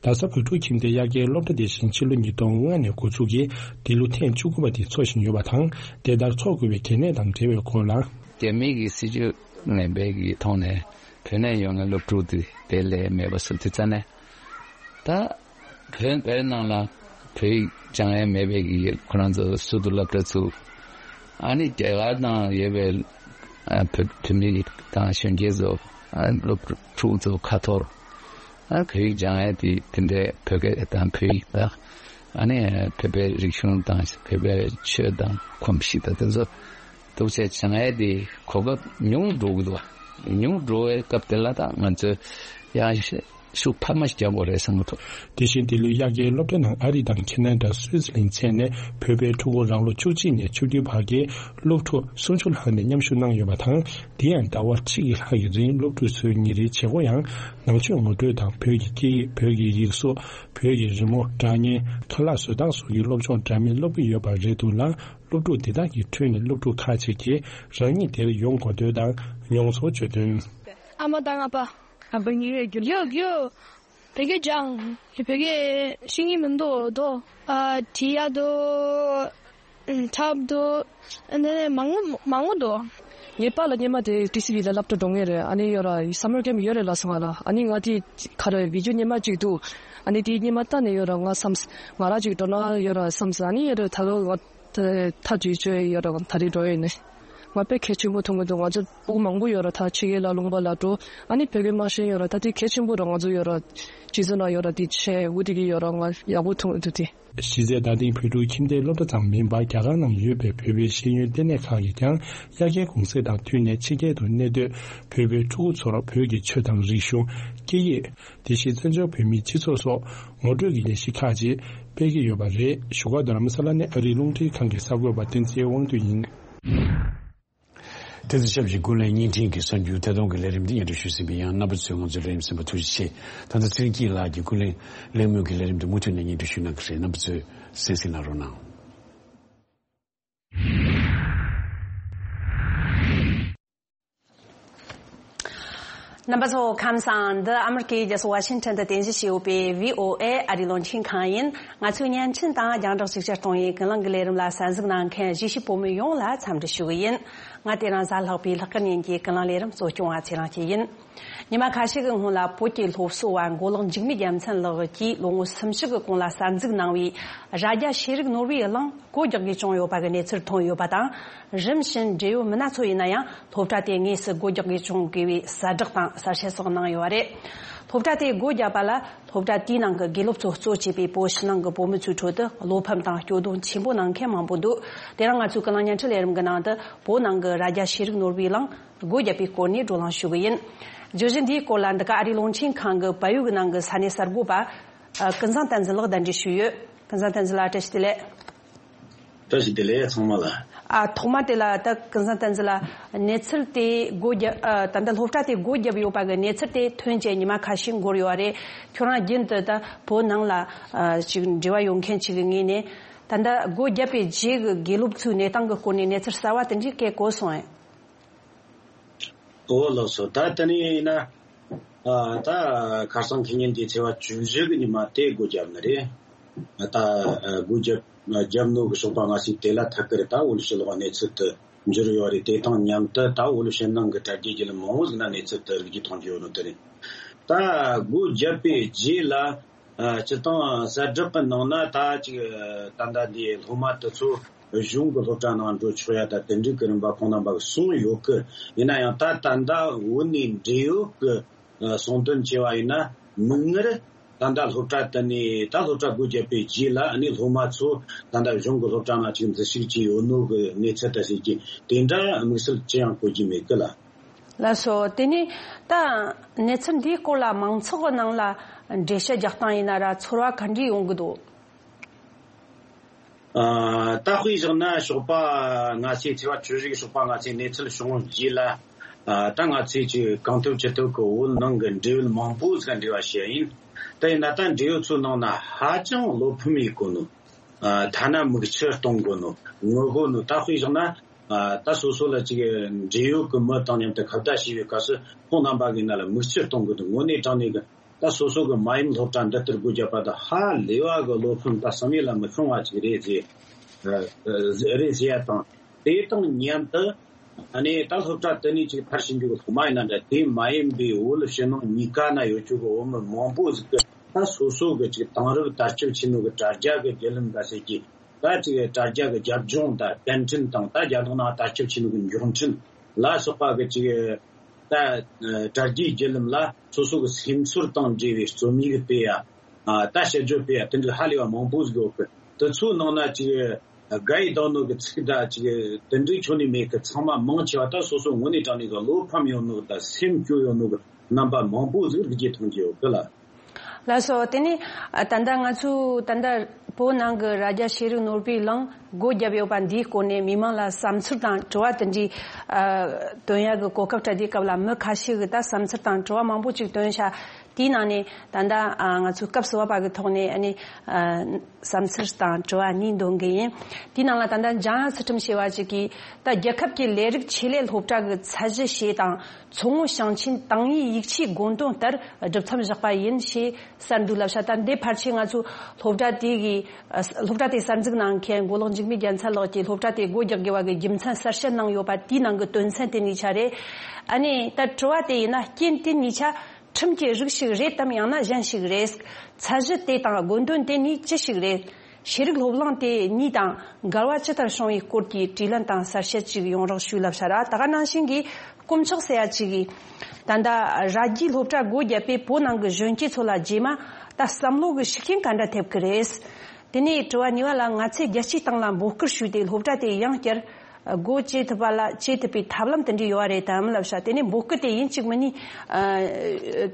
རྡ་ས་བོད་ཕྲུག་ཁྱིམ་སྡེའི་དབྱར་ཁའི་སློབ་གྲྭ་དེ་བཞིན་ཕྱི་ལོ་ཉིས་སྟོང་ལྔ་ནས་འགོ་འཛུགས་ཀྱིས་འདི་ལོ་ཐེངས་བཅུ་དགུ་པ་དེ་འཚོགས་བཞིན་ཡོད་པ་དང་། དེ་ལྟར་འཚོགས་དགོས་པའི་གལ་གནད་དང་འབྲེལ་བའི་སྐོར་ལ། རྒྱ་མི་གི་སྲིད་ཇུས་ངན་པའི་གི་ཐོག་ནས་བོད་ནས་ཡོང་མཁན་སློབ་ཕྲུག་དེ་དེ་ལས་མེད་པ་བཟོ་དུས་ཙ་ནས། ད་བོད་བོད་ནང་ལ་བོད་ཡིག་སྦྱང་ཡས་མེད་པའི་གི་ཁོ་རང་ཚོ་ཟུར་དུ་སློབ་གྲྭ་ཚུགས། ཨ་ནི་རྒྱ་གར་ནང་ཡོད་པའི་ཨ་བོད་བོད་མི་དང་གཞོན་སྐྱེས་ཚོ་ཨ་སློབ་ཕྲུག་ཚོ་ཁ་ཐོར། ཨ་བོད་ཡིག་སྦྱང་ཡས་དེ་དེ་འདྲའི་བོད་སྐད་དང་བོད་ཡིག་དང་ཨ་ནི་བོད་པའི་རིག་གཞུང་དང་བོད་པའི་ཆོས་དང་གོམས་གཤིས་དང་དེ་ཚོ་འདུག་བྱས་སྦྱང་ཡས་དེ་གོ་སྐབས་ཉུང་འགྲོ་གི་འདུག་ཉུང་འགྲོ་བའི་སྐབས་དེ་ལ་ད་ང་ཚོས་ཡང་ཤུགས་འཕར་མ་ཞིག་རྒྱག་དགོས་རེད་བསམ་གྱི་འདུག་དེ་བཞིན་འདི་ལོའི་དབྱར་ཁའི་སློབ་གྲྭ་ནང་ཨ་རི་དང་ཁེ་ན་ཌ། སུད་སི་ལན་བཅས་ནས་བོད་པའི་ཕྲུ་གུ་རང་ལོ་བཅུ་གཅིག་ནས་བཅུ་བདུན་བར་གྱི་སློབ་ཕྲུག་སུམ་ཅུ་ལྷག་ནས་མཉམ་ཞུགས་གནང་ཡོད་པ་དང་། དེ་ཡང་ཟླ་བ་ཁྲི་ཡི་ལྷག་གི་རིང་སློབ་ཕྲུག་ཚོའི་ཉིན་རེའི་བྱེད་སྒོ་ཡང་ནང་ཆོས་ངོ་སྤྲོད་དང་བོད་ཀྱི་སྐད་ཡིག་བོད་ཀྱི་ཡིག་གཟུགས། བོད་ཀྱི་རི་མོ། སྒྲ་སྙན། ཁ་ལག་བཟོ་སྟངས་སོགས་ཀྱི་སློབ་སྦྱོང་འདྲ་མིན་སློབ་ཀྱི་ཡོད་པ་རེད་འདུག་ལ། སློབ་ཕྲུག་འདི་དག་གི་ཁྲོད་ནས་སློབ་ཕྲུག་ཁག་ཅིག་གིས་རང་ཉིད་དེར་ཡོང་དགོས་འདོད་དང་མྱོང་ཚོར་བརྗོད་དོན། ཨ་མ་དང་ཨ་ཕ། ཨ་ཕ་ངའི་རྒྱུ་ཡོད་རྒྱུ། བོད་སྐད་སྦྱང་། བོད་སྐད་ཤེས་ཀྱི་མི་འདུག་དོ། ཨ་བྲིས་ཡག་འདུག་འཁྲབ་འདུག་ཨ་ནི་མང་པོ་མང་པོ་འདུག་ངའི་པཱ་ལགས་སྔོན་མ་དེ་ཊི་སི་ཝི་ལ་སློབ་གྲྭ་འགྲོ་མཁན་རེད། ཨ་ནི་ཡོད་ར་སམ་མར་ཀེམ་ཡོད་རེད་ལབ་སོང་ང་ལ། ཨ་ནི་ང་དེ་ག་རེ་བི་ཌི་ཡོ་སྔོན་མ་གཅིག་འདུག་ཨ་ནི་དེ་སྔོན་མ་ལྟ་ནས་ཡོད་ར། ང་བསམ་ང་རང་གཅིག་འགྲོ་ན་ཡོད་ར་བསམ་སོང་། ཨ་ནི་ཡོད་ར་ད་ག་ང་ད་ད་དུས་ཚོད་ཡོད་ར་ད་རེས་འགྲོ་ཡོད་ནི། ང་དཔེ་གལ་ཆེན་པོ་མཐོང་གི་འདུག་ང་ཚོ་ཕྲུ་གུ་མང་པོ་ཡོད་ར་ད་ཕྱི་རྒྱལ་ལ་ལུང་པ་ལ་འགྲོ། ཨ་ནི་བོད་སྐད་མ་ཤེས་ཡོད་ར། ད་དེ་གལ་ཆེན་པོ་ར། ང་ཚོ་ཡོད་ར་སྤྱི་ཚོགས་ནང་ཡོད་ར་དེ་བྱས་འུ་དེ་གི་ཡོད་ར། ང་ཡག་པོ་མཐོང་གི་འདུག་དེ། གཞི་རྩའི་བརྡ་སྟེང་བོད་ཕྲུག་ཁྱིམ་སྡེའི་སློབ་གྲྭ་ཙམ་མིན་པར་རྒྱ་གར་ནང་ཡོད་པའི་བོད་པའི་ཤེས་ཡོན་ལྟེ་གནས་ཁག་གིས་ཀྱང་དབྱར་ཁའི་གུང་སེང་དང་བསྟུན་ནས་ཕྱི་རྒྱལ་དུ་གནས་སྡོད་བོད་པའི་ཕྲུ་གུ་ཚོར་བོད་ཀྱི་ཆོས་དང་རིག་གཞུང་། སྐད་ཡིག་དེ་བཞིན་བཙན་བྱོལ་བོད་མིའི་སྤྱི་ཚོགས་སོགས་ངོ་སྤྲོད་ཀྱི་ལས་གཞི་ཁག་ཅིག་སྤེལ་གྱི་ཡོད་པ་རེད། བཞུགས་སྒར་རྡ་རམ་ས་ལ་ནས་ཨ་རིའི་རླུང་འཕྲིན་ཁང་གི་གསར་འགོད་པ་བསྟན་འཛིན་དབང་འདུས་ཡིན། དེ་ཚོ་ཆབས་ཅིག་ཀུན་གླེང་བརྙན་འཕྲིན་གྱི་གསར་འགྱུར་ཐད་གཏོང་གི་ལས་རིམ་འདི་སྙན་སྒྲོན་ཞུས་ཟིན་པ་ཡིན། རྣམ་པ་ཚོས་ང་ཚོའི་ལས་རིམ་གསན་པར་ཐུགས་རྗེ་ཆེ། ད་ལྟ་ཚེ་རིང་སྐྱིད་ལགས་ཀྱིས་ཀུན་གླེང་གླེང་མོལ་གྱི་ལས་རིམ་འདི་མུ་མཐུད་ནས་སྙན་སྒྲོན་ཞུ་གནང་གི་རེད། རྣམ་པ་ཚོས་གསན་གཟིགས་གནང་རོགས་གནང་། རྣམ་པ་ཚོ་ཁམས་བཟང་། འདི་ཨ་མི་རི་ཀའི་རྒྱལ་ས་ཝ་ཤིང་ཊོན་དུ་རྟེན་གཞི་བྱས་ཡོད་པའི་བྷི་ཨོ་ཨེ་ཨ་རིའི་རླུང་འཕྲིན་ཁང་ཡིན། ང་ཚོའི་བརྙན་འཕྲིན་དང་རྒྱང་བསྒྲགས་ཤུགས་ཆེར་གཏོང་བའི་ཀུན་གླེང་གི་ལས་རིམ་ལ་གསན་གཟིགས་གནང་མཁན་གཞིས་བྱེས་བོད་མི་ཡོངས་ལ་འཚམས་འདྲི་ཞུ་གི་ཡིན། ང་དེ་རིང་གཟའ་ལྷག་པའི་ལྷག་དཀར་ཉིན་གྱི་ཀུན་གླེང་ལས་རིམ་གཙོ་སྐྱོང་བ་ཚེ་རིང་སྐྱིད་ཡིན། ཉི་མ་ཁ་ཤས་ཀྱི་སྔོན་ལ་བོད་ཀྱི་སློབ་གསོ་བ་མགོ་ལོག་འཇིགས་མེད་རྒྱལ་མཚན་ལགས་ཀྱིས་ལོ་ངོ་སུམ་ཅུ་གི་གོང་ལ་གསར་འཛུགས་གནང་བའི་རྭ་རྒྱ་ཤེས་རིག་ནོར་བུའི་གླིང་སྒོ་རྒྱག་དགོས་བྱུང་ཡོད་པ་གི་གནས་ཚུལ་ཐོན་ཡོད་པ་དང་། རིམ་བཞིན་འབྲེལ་ཡོད་མི་སྣ་ཚོ་ཡིན་ན་ཡང་སློབ་གྲྭ་དེ་དངོས་སུ་སྒོ་རྒྱག་དགོས་བྱུང་དགོས་པའི་གསལ་བསྒྲགས་དང་གསལ་བཤད་སོགས་གནང་ཡོད་པ་རེད། སློབ་གྲྭ་དེ་སྒོ་བརྒྱབ་པ་ལ་སློབ་གྲྭ་དེའི་ནང་གི་དགེ་སློབ་ཚོ་གཙོ་བྱས་པའི་བོད་ཕྱི་ནང་གི་བོད་མི་ཚོའི་ཁྲོད་དུ་བློ་ཕམ་དང་སྐྱོ་གདུང་ཆེན་པོ་གནང་མཁན་མང་པོ་འདུག་དེ་རིང་ང་ཚོའི་ཀུན་གླེང་བརྙན་འཕྲིན་ལས་རིམ་གྱི་ནང་དུ་བོད་ནང་གི་རྭ་རྒྱ་ཤེས་རིག་ནོར་བུའི་གླིང་སྒོ་བརྒྱབ་པའི་སྐོར་ནས་བགྲོ་གླེང་ཞུ་གི་ཡིན། བརྗོད་གཞི་འདིའི་སྐོར་ལ་འདི་ག་ཨ་རིའི་རླུང་འཕྲིན་ཁང་གི་བལ་ཡུལ་གྱི་ནང་གི་ས་གནས་གསར་འགོད་པ། ཨ། ཀུན་བཟང་བསྟན་འཛིན་ལགས་གདན་འདྲེན་ཞུས་ཡོད། ཀུན་བཟང་བསྟན་འཛིན་ལགས་བཀྲ་ཤིས་བདེ་ལེགས། བཀྲ་ཤིས་བདེ་ལེགས་ཚང་མ་ལ། ཨ། ཐོག་མ་དེ་ལ་ད་ཀུན་བཟང་བསྟན་འཛིན་ལགས་གནས་ཚུལ་དེ་སྒོ་བརྒྱབ། ཨ། ད་ལྟ་སློབ་གྲྭ་དེ་སྒོ་བརྒྱབ་ཡོད་པ་གི་གནས་ཚུལ་དེ་ཐོན་བྱས་ཉི་མ་ཁ་ཤས་འགོར་ཡོད་པ་རེད། ཁྱོད་རང་རྒྱུན་དུ་ད་བོད་ནང་ལ་ཨ་ཅིག་འབྲེལ་བ་ཡོད་མཁན་ཅིག་གི་ངོས་ནས་ད་ལྟ་སྒོ་བརྒྱབ་པའི་རྗེས་ཀྱི་དགེ་སློབ་ཚོའི་གནས་སྟངས་ཀྱི་སྐོར་ནས་གནས་ཚུལ་གསར་བ་དེ་འདྲའི་སྐད་གོ་སོང་ངས། ཨོ་ལགས་སོ། ད་དེ་ནས་ཡིན་ན། ཨ། ད་ཁ་སང་ཁེ་ཉིན་གྱི་ཚེས་པ་བཅུ་བཞི་གི་ཉི་མ་དེ་སྒོ་བརྒྱབ་ནི་རེད། ད་སྒོ་བརྒྱབ་བརྒྱབ་ནོ་གི་ཞོགས་པ་ང་ཚོས་དེ་ལ་ཐད་ཀར་ད་འོས་བསྡུ་ཕྱིར་ལོག་གནས་ཚུལ་དུ་འབྱོར་ཡོད་རེད། དེ་དང་མཉམ་དུ་ད་འོས་བསྡུ་ཕྱིར་ནང་གི་གྲ་རྒྱས་བརྒྱུད་ལམ་མང་བོ་ཟིག་ན་གནས་ཚུལ་དུ་རིགས་རྒྱུད་མཐོང་རྒྱུ་ཡོད་ནོ་དེ་རེད། ད་སྒོ་བརྒྱབ་པའི་རྗེས་ལ། ཨ། སྤྱིར་བཏང་གསལ་བསྒྲགས་ཀྱི་ནང་ན་ད་ཅིག་ད་ལྟ་འདི་སློབ་མ་དེ་ཚོ་གཞུང་གི་སློབ་གྲྭ་ནང་འགྲོ་ཆོག་ཡ་ད་དེ་འདྲའི་གི་རིམ་པ་ཁོང་རྣམ་པ་གིས་གསུངས་ཡོད་གི། ཡིན་ན་ཡང་ད་ད་ལྟ་འོས་ནས་འབྲེལ་ཡོད་ཀྱི་གསུང་དོན་བྱས་པ་ཡིན་ན་མིག་སྔར་ད་ལྟ་སློབ་གྲྭ་དེ་ནས་ད་སློབ་གྲྭ་སྒོ་བརྒྱབ་པའི་རྗེས་ལ་ཨ་ནི་སློབ་མ་ཚོ་ད་ལྟ་གཞུང་གི་སློབ་གྲྭ་ནང་ཅིག་འཛུལ་ཞུགས་བྱས་ཡོད་ནོ་གི་གནས་ཚུལ་དང་ཟེར་གྱི་དེ་འདྲ་དམིགས་བསལ་ཅི་ཡང་གོ་རྒྱུ་མེད་གི་ལ། ལགས་སོ། དེ་ནས་ད་གནས་ཚུལ་འདིའི་སྐོར་ལ་མང་ཚོགས་ཀྱི་ནང་ལ་འགྲེལ་བཤད་རྒྱག་སྟངས་ཡིན་ན་ར་ཚོར་བ་ག་འདྲ་ཡོང་གི་འདུག་ཨ། ད་དཔེ་བཞག་ན་ཞོགས་པ་ང་ཚོས་ཚེས་པ་བཅུ་བཞི་གི་ཞོགས་པ་ང་ཚོས་གནས་ཚུལ་བྱུང་བའི་རྗེས་ལ། ཨ། ད་ང་ཚོས་ཀྱི་གང་ཐུབ་ཅི་ཐུབ་ཀྱི་བོད་ནང་གི་འབྲེལ་ཡོད་མང་པོ་ཟིག་འབྲེལ་བ་བྱས་ཡིན། ད་ཡིན་ན་ད་འབྲེལ་ཡོད་ཚོའི་ནང་ན་ཧ་ཅང་བློ་ཕམ་ཡེད་གོ་ནོ། ཨ། ཐ་ན་མིག་ཆུ་གཏོང་དགོས་ནོ་ངུ་དགོས་ནོ། ད་དཔེ་བཞག་ན། ཨ། ད་སོ་སོ་ལ་ཅིག་འབྲེལ་ཡོད་ཀྱི་མི་དང་མཉམ་དུ་ཁ་བརྡ་བྱས་པའི་སྐབས་སུ་ཁོང་རྣམ་པ་གི་ནང་ལ་མིག་ཆུ་གཏོང་དགོས་འདུག་དངོས་གནས་དྲང་གནས་ཀྱི་ད་སོ་སོ་གི་མ་ཡུམ་སློབ་གྲྭ་འདི་ལྟར་སྒོ་བརྒྱབ་པ་དང་ཧ་ལས་པ་གི་བློ་ཕམ་ད་བསམ་ཡས་ལ་མི་ཤོང་བ་ཅིག་རེད་ཟེར། ཨ། རེད་ཟེར་ཡ་དང་། དེ་དང་མཉམ་དུ། ཨ་ནི་ད་སློབ་གྲྭ་དེ་ནས་ཅིག་མཐར་ཕྱིན་རྒྱུ་གི་སློབ་མ་ཡིན་ན་འདྲ། དེ་མ་ཡིན་པའི་བོད་ཕྱི་ནང་གཉིས་ཀ་ན་ཡོད་རྒྱུ་གི་བོད་མི་མང་པོ་ཟིག་གི་ད་སོ་སོ་གི་ཅིག་དེང་རབས་དར་ཁྱབ་ཆེ་ནོ་གི་དྲ་རྒྱ་གི་བརྒྱུད་ལམ་འགའ་ཟེར་གྱི། ད་ཅིག་དྲ་རྒྱ་གི་རྒྱབ་ལྗོངས་དང་བརྟན་འཕྲིན་དང་ད་རྒྱ་ནག་ནང་དར་ཁྱབ་ཆེ་ནོ་གི་མགྱོགས་འཕྲིན་ལ་སོགས་པ་གི་ཅིག་ད་དྲ་རྒྱའི་བརྒྱུད་ལམ་ལ་སོ་སོ་གི་སེམས་ཚོར་དང་འབྲེལ་བའི་རྩོམ་ཡིག་སྤེལ་ཡ། ཨ། ད་དཔྱད་བརྗོད་སྤེལ་ཡ་དེ་འདྲ་ཧ་ལས་པ་མང་པོ་ཟིག་ཡོད་གི། དེ་ཚོའི་ནང་ན་ཅིག་དགའ་ཡི་བསྡད་ནོ་གི་ཚིག་ད་ཅིག་དེ་འདྲའི་ཁྱོན་ནས་མེད་གི། ཚང་མ་མང་ཆེ་བ་ད་སོ་སོ་དངོས་གནས་དྲང་གནས་གི་བློ་ཕམ་ཡོད་ནོ་གི་ད་སེམས་སྐྱོ་ཡོད་ནོ་གི་རྣམ་པ་མང་པོ་ཟིག་རིག་རྒྱུ་མཐོང་རྒྱུ་ཡོད་གི་ལ། ལགས་སོ། དེ་ནས་ད་ལྟ་ང་ཚོས་ད་ལྟ་བོད་ནང་གི་རྭ་རྒྱ་ཤེས་རིག་ནོར་བུའི་གླིང་སྒོ་བརྒྱབ་ཡོད་པ་འདིའི་སྐོར་ནས་མི་མང་ལ་བསམ་ཚུལ་དང་དྲི་བ་དེ་འདྲའི་ཨ་བཏོན་ཡག་གི་གོ་སྐབས་སྤྲད་དུས་སྐབས་ལ་མི་ཁ་ཤས་ཀྱིས་ད་བསམ་ཚུལ་དང་དྲི་བ་མང་པོ་ཅིག་བཏོན་ཤག་དེའི་ནང་ནས་ད་ལྟ་ཨ་ང་ཚོའི་སྐབས་སུ་བབས་པ་གི་ཐོག་ནས་ཨ་ནི་ཨ་བསམ་ཚུལ་དང་དྲི་བ་གཉིས་འདོན་གི་ཡིན། དེའི་ནང་ལ་ད་ལྟ་འཇམ་དབྱངས་ཚུལ་ཁྲིམས་ཞེས་པ་ཅིག་གིས། ད་རྒྱལ་ཁབ་ཀྱི་ལས་རིགས་ཆེད་ལས་སློབ་གྲྭ་གི་ཚད་གཞི་ཞེས་དང་མཚོ་སྔོན་ཞིང་ཆེན་ཏང་ཨུའི་ཡིག་ཆའི་དགོངས་དོན་ལྟར་སྒྲུབ་མཚམས་བཞག་པ་ཡིན་ཞེས་གསལ་འདུག་ལབ་ཤག་ད་འདི་ཕལ་ཆེར་ང་ཚོའི་སློབ་གྲྭ་དེ་གི་སློབ་གྲྭ་དེ་གསར་འཛུགས་གནང་མཁན་མགོ་ལོག་འཇིགས་མེད་རྒྱལ་མཚན་ལགས་ཀྱིས་སློབ་གྲྭ་དེ་སྒོ་རྒྱག་དགོས་པ་གི་རྒྱུ་མཚན་གསལ་བཤད་གནང་ཡོད་པ་དེའི་ནང་གི་དོན་ཚན་དེ་གཉིས་ཆ་རེད། ཨ་ནི་ད་དྲི་བ་དེ་ཡིན་ན། རྐྱེན་དེ་གཉིས་ཆ་ཁྲིམས་ཀྱི་རིགས་ཤིག་རེད་དམ། ཡང་ན་གཞན་ཞིག་རེད། ཚད་གཞི་དེ་དང་དགོངས་དོན་དེ་གཉིས་ཅི་ཞིག་རེད། ཤེས་རིག་སློབ་གླིང་དེ་གཉིས་དང་འགལ་བ་ཇི་ལྟར་བྱུང་བའི་སྐོར་གྱི་དྲིས་ལན་དང་གསལ་བཤད་ཅིག་ཡོང་རོགས་ཞུ་ལབ་ཤག་ར། ད་ག་ནང་བཞིན་གྱི་དཀོན་མཆོག་ཟེར་ཡ་ཅིག་གིས། ད་ལྟ་ར་རྒྱའི་སློབ་གྲྭ་སྒོ་བརྒྱབ་པས་བོད་ནང་གི་གཞོན་སྐྱེས་ཚོ་ལ་རྗེས་མ་ད་བསམ་བློ་གི་ཤུགས་རྐྱེན་ག་འདྲ་ཐེབས་ཀྱི་རེད། དེ་ནས་དྲི་བ་གཉིས་པ་ལ། ང་ཚོས་རྒྱལ་སྤྱིའི་སྟེང་ལ་འབོད་སྐུལ་ཞུས་ཏེ་སློབ་གྲྭ་དེ་ཡང་བསྐྱར་སྒོ་འབྱེད་ཐུབ་པ་ལ་འབྱེད་ཐུབ་པའི་ཐབས་ལམ་དེ་འདྲ་ཡོད་རེད་དམ་ལབ་ཤག་དེ་ནས་འབོད་སྐུལ་དེ་ཡིན་གཅིག་མིན་གཉིས་ཨ་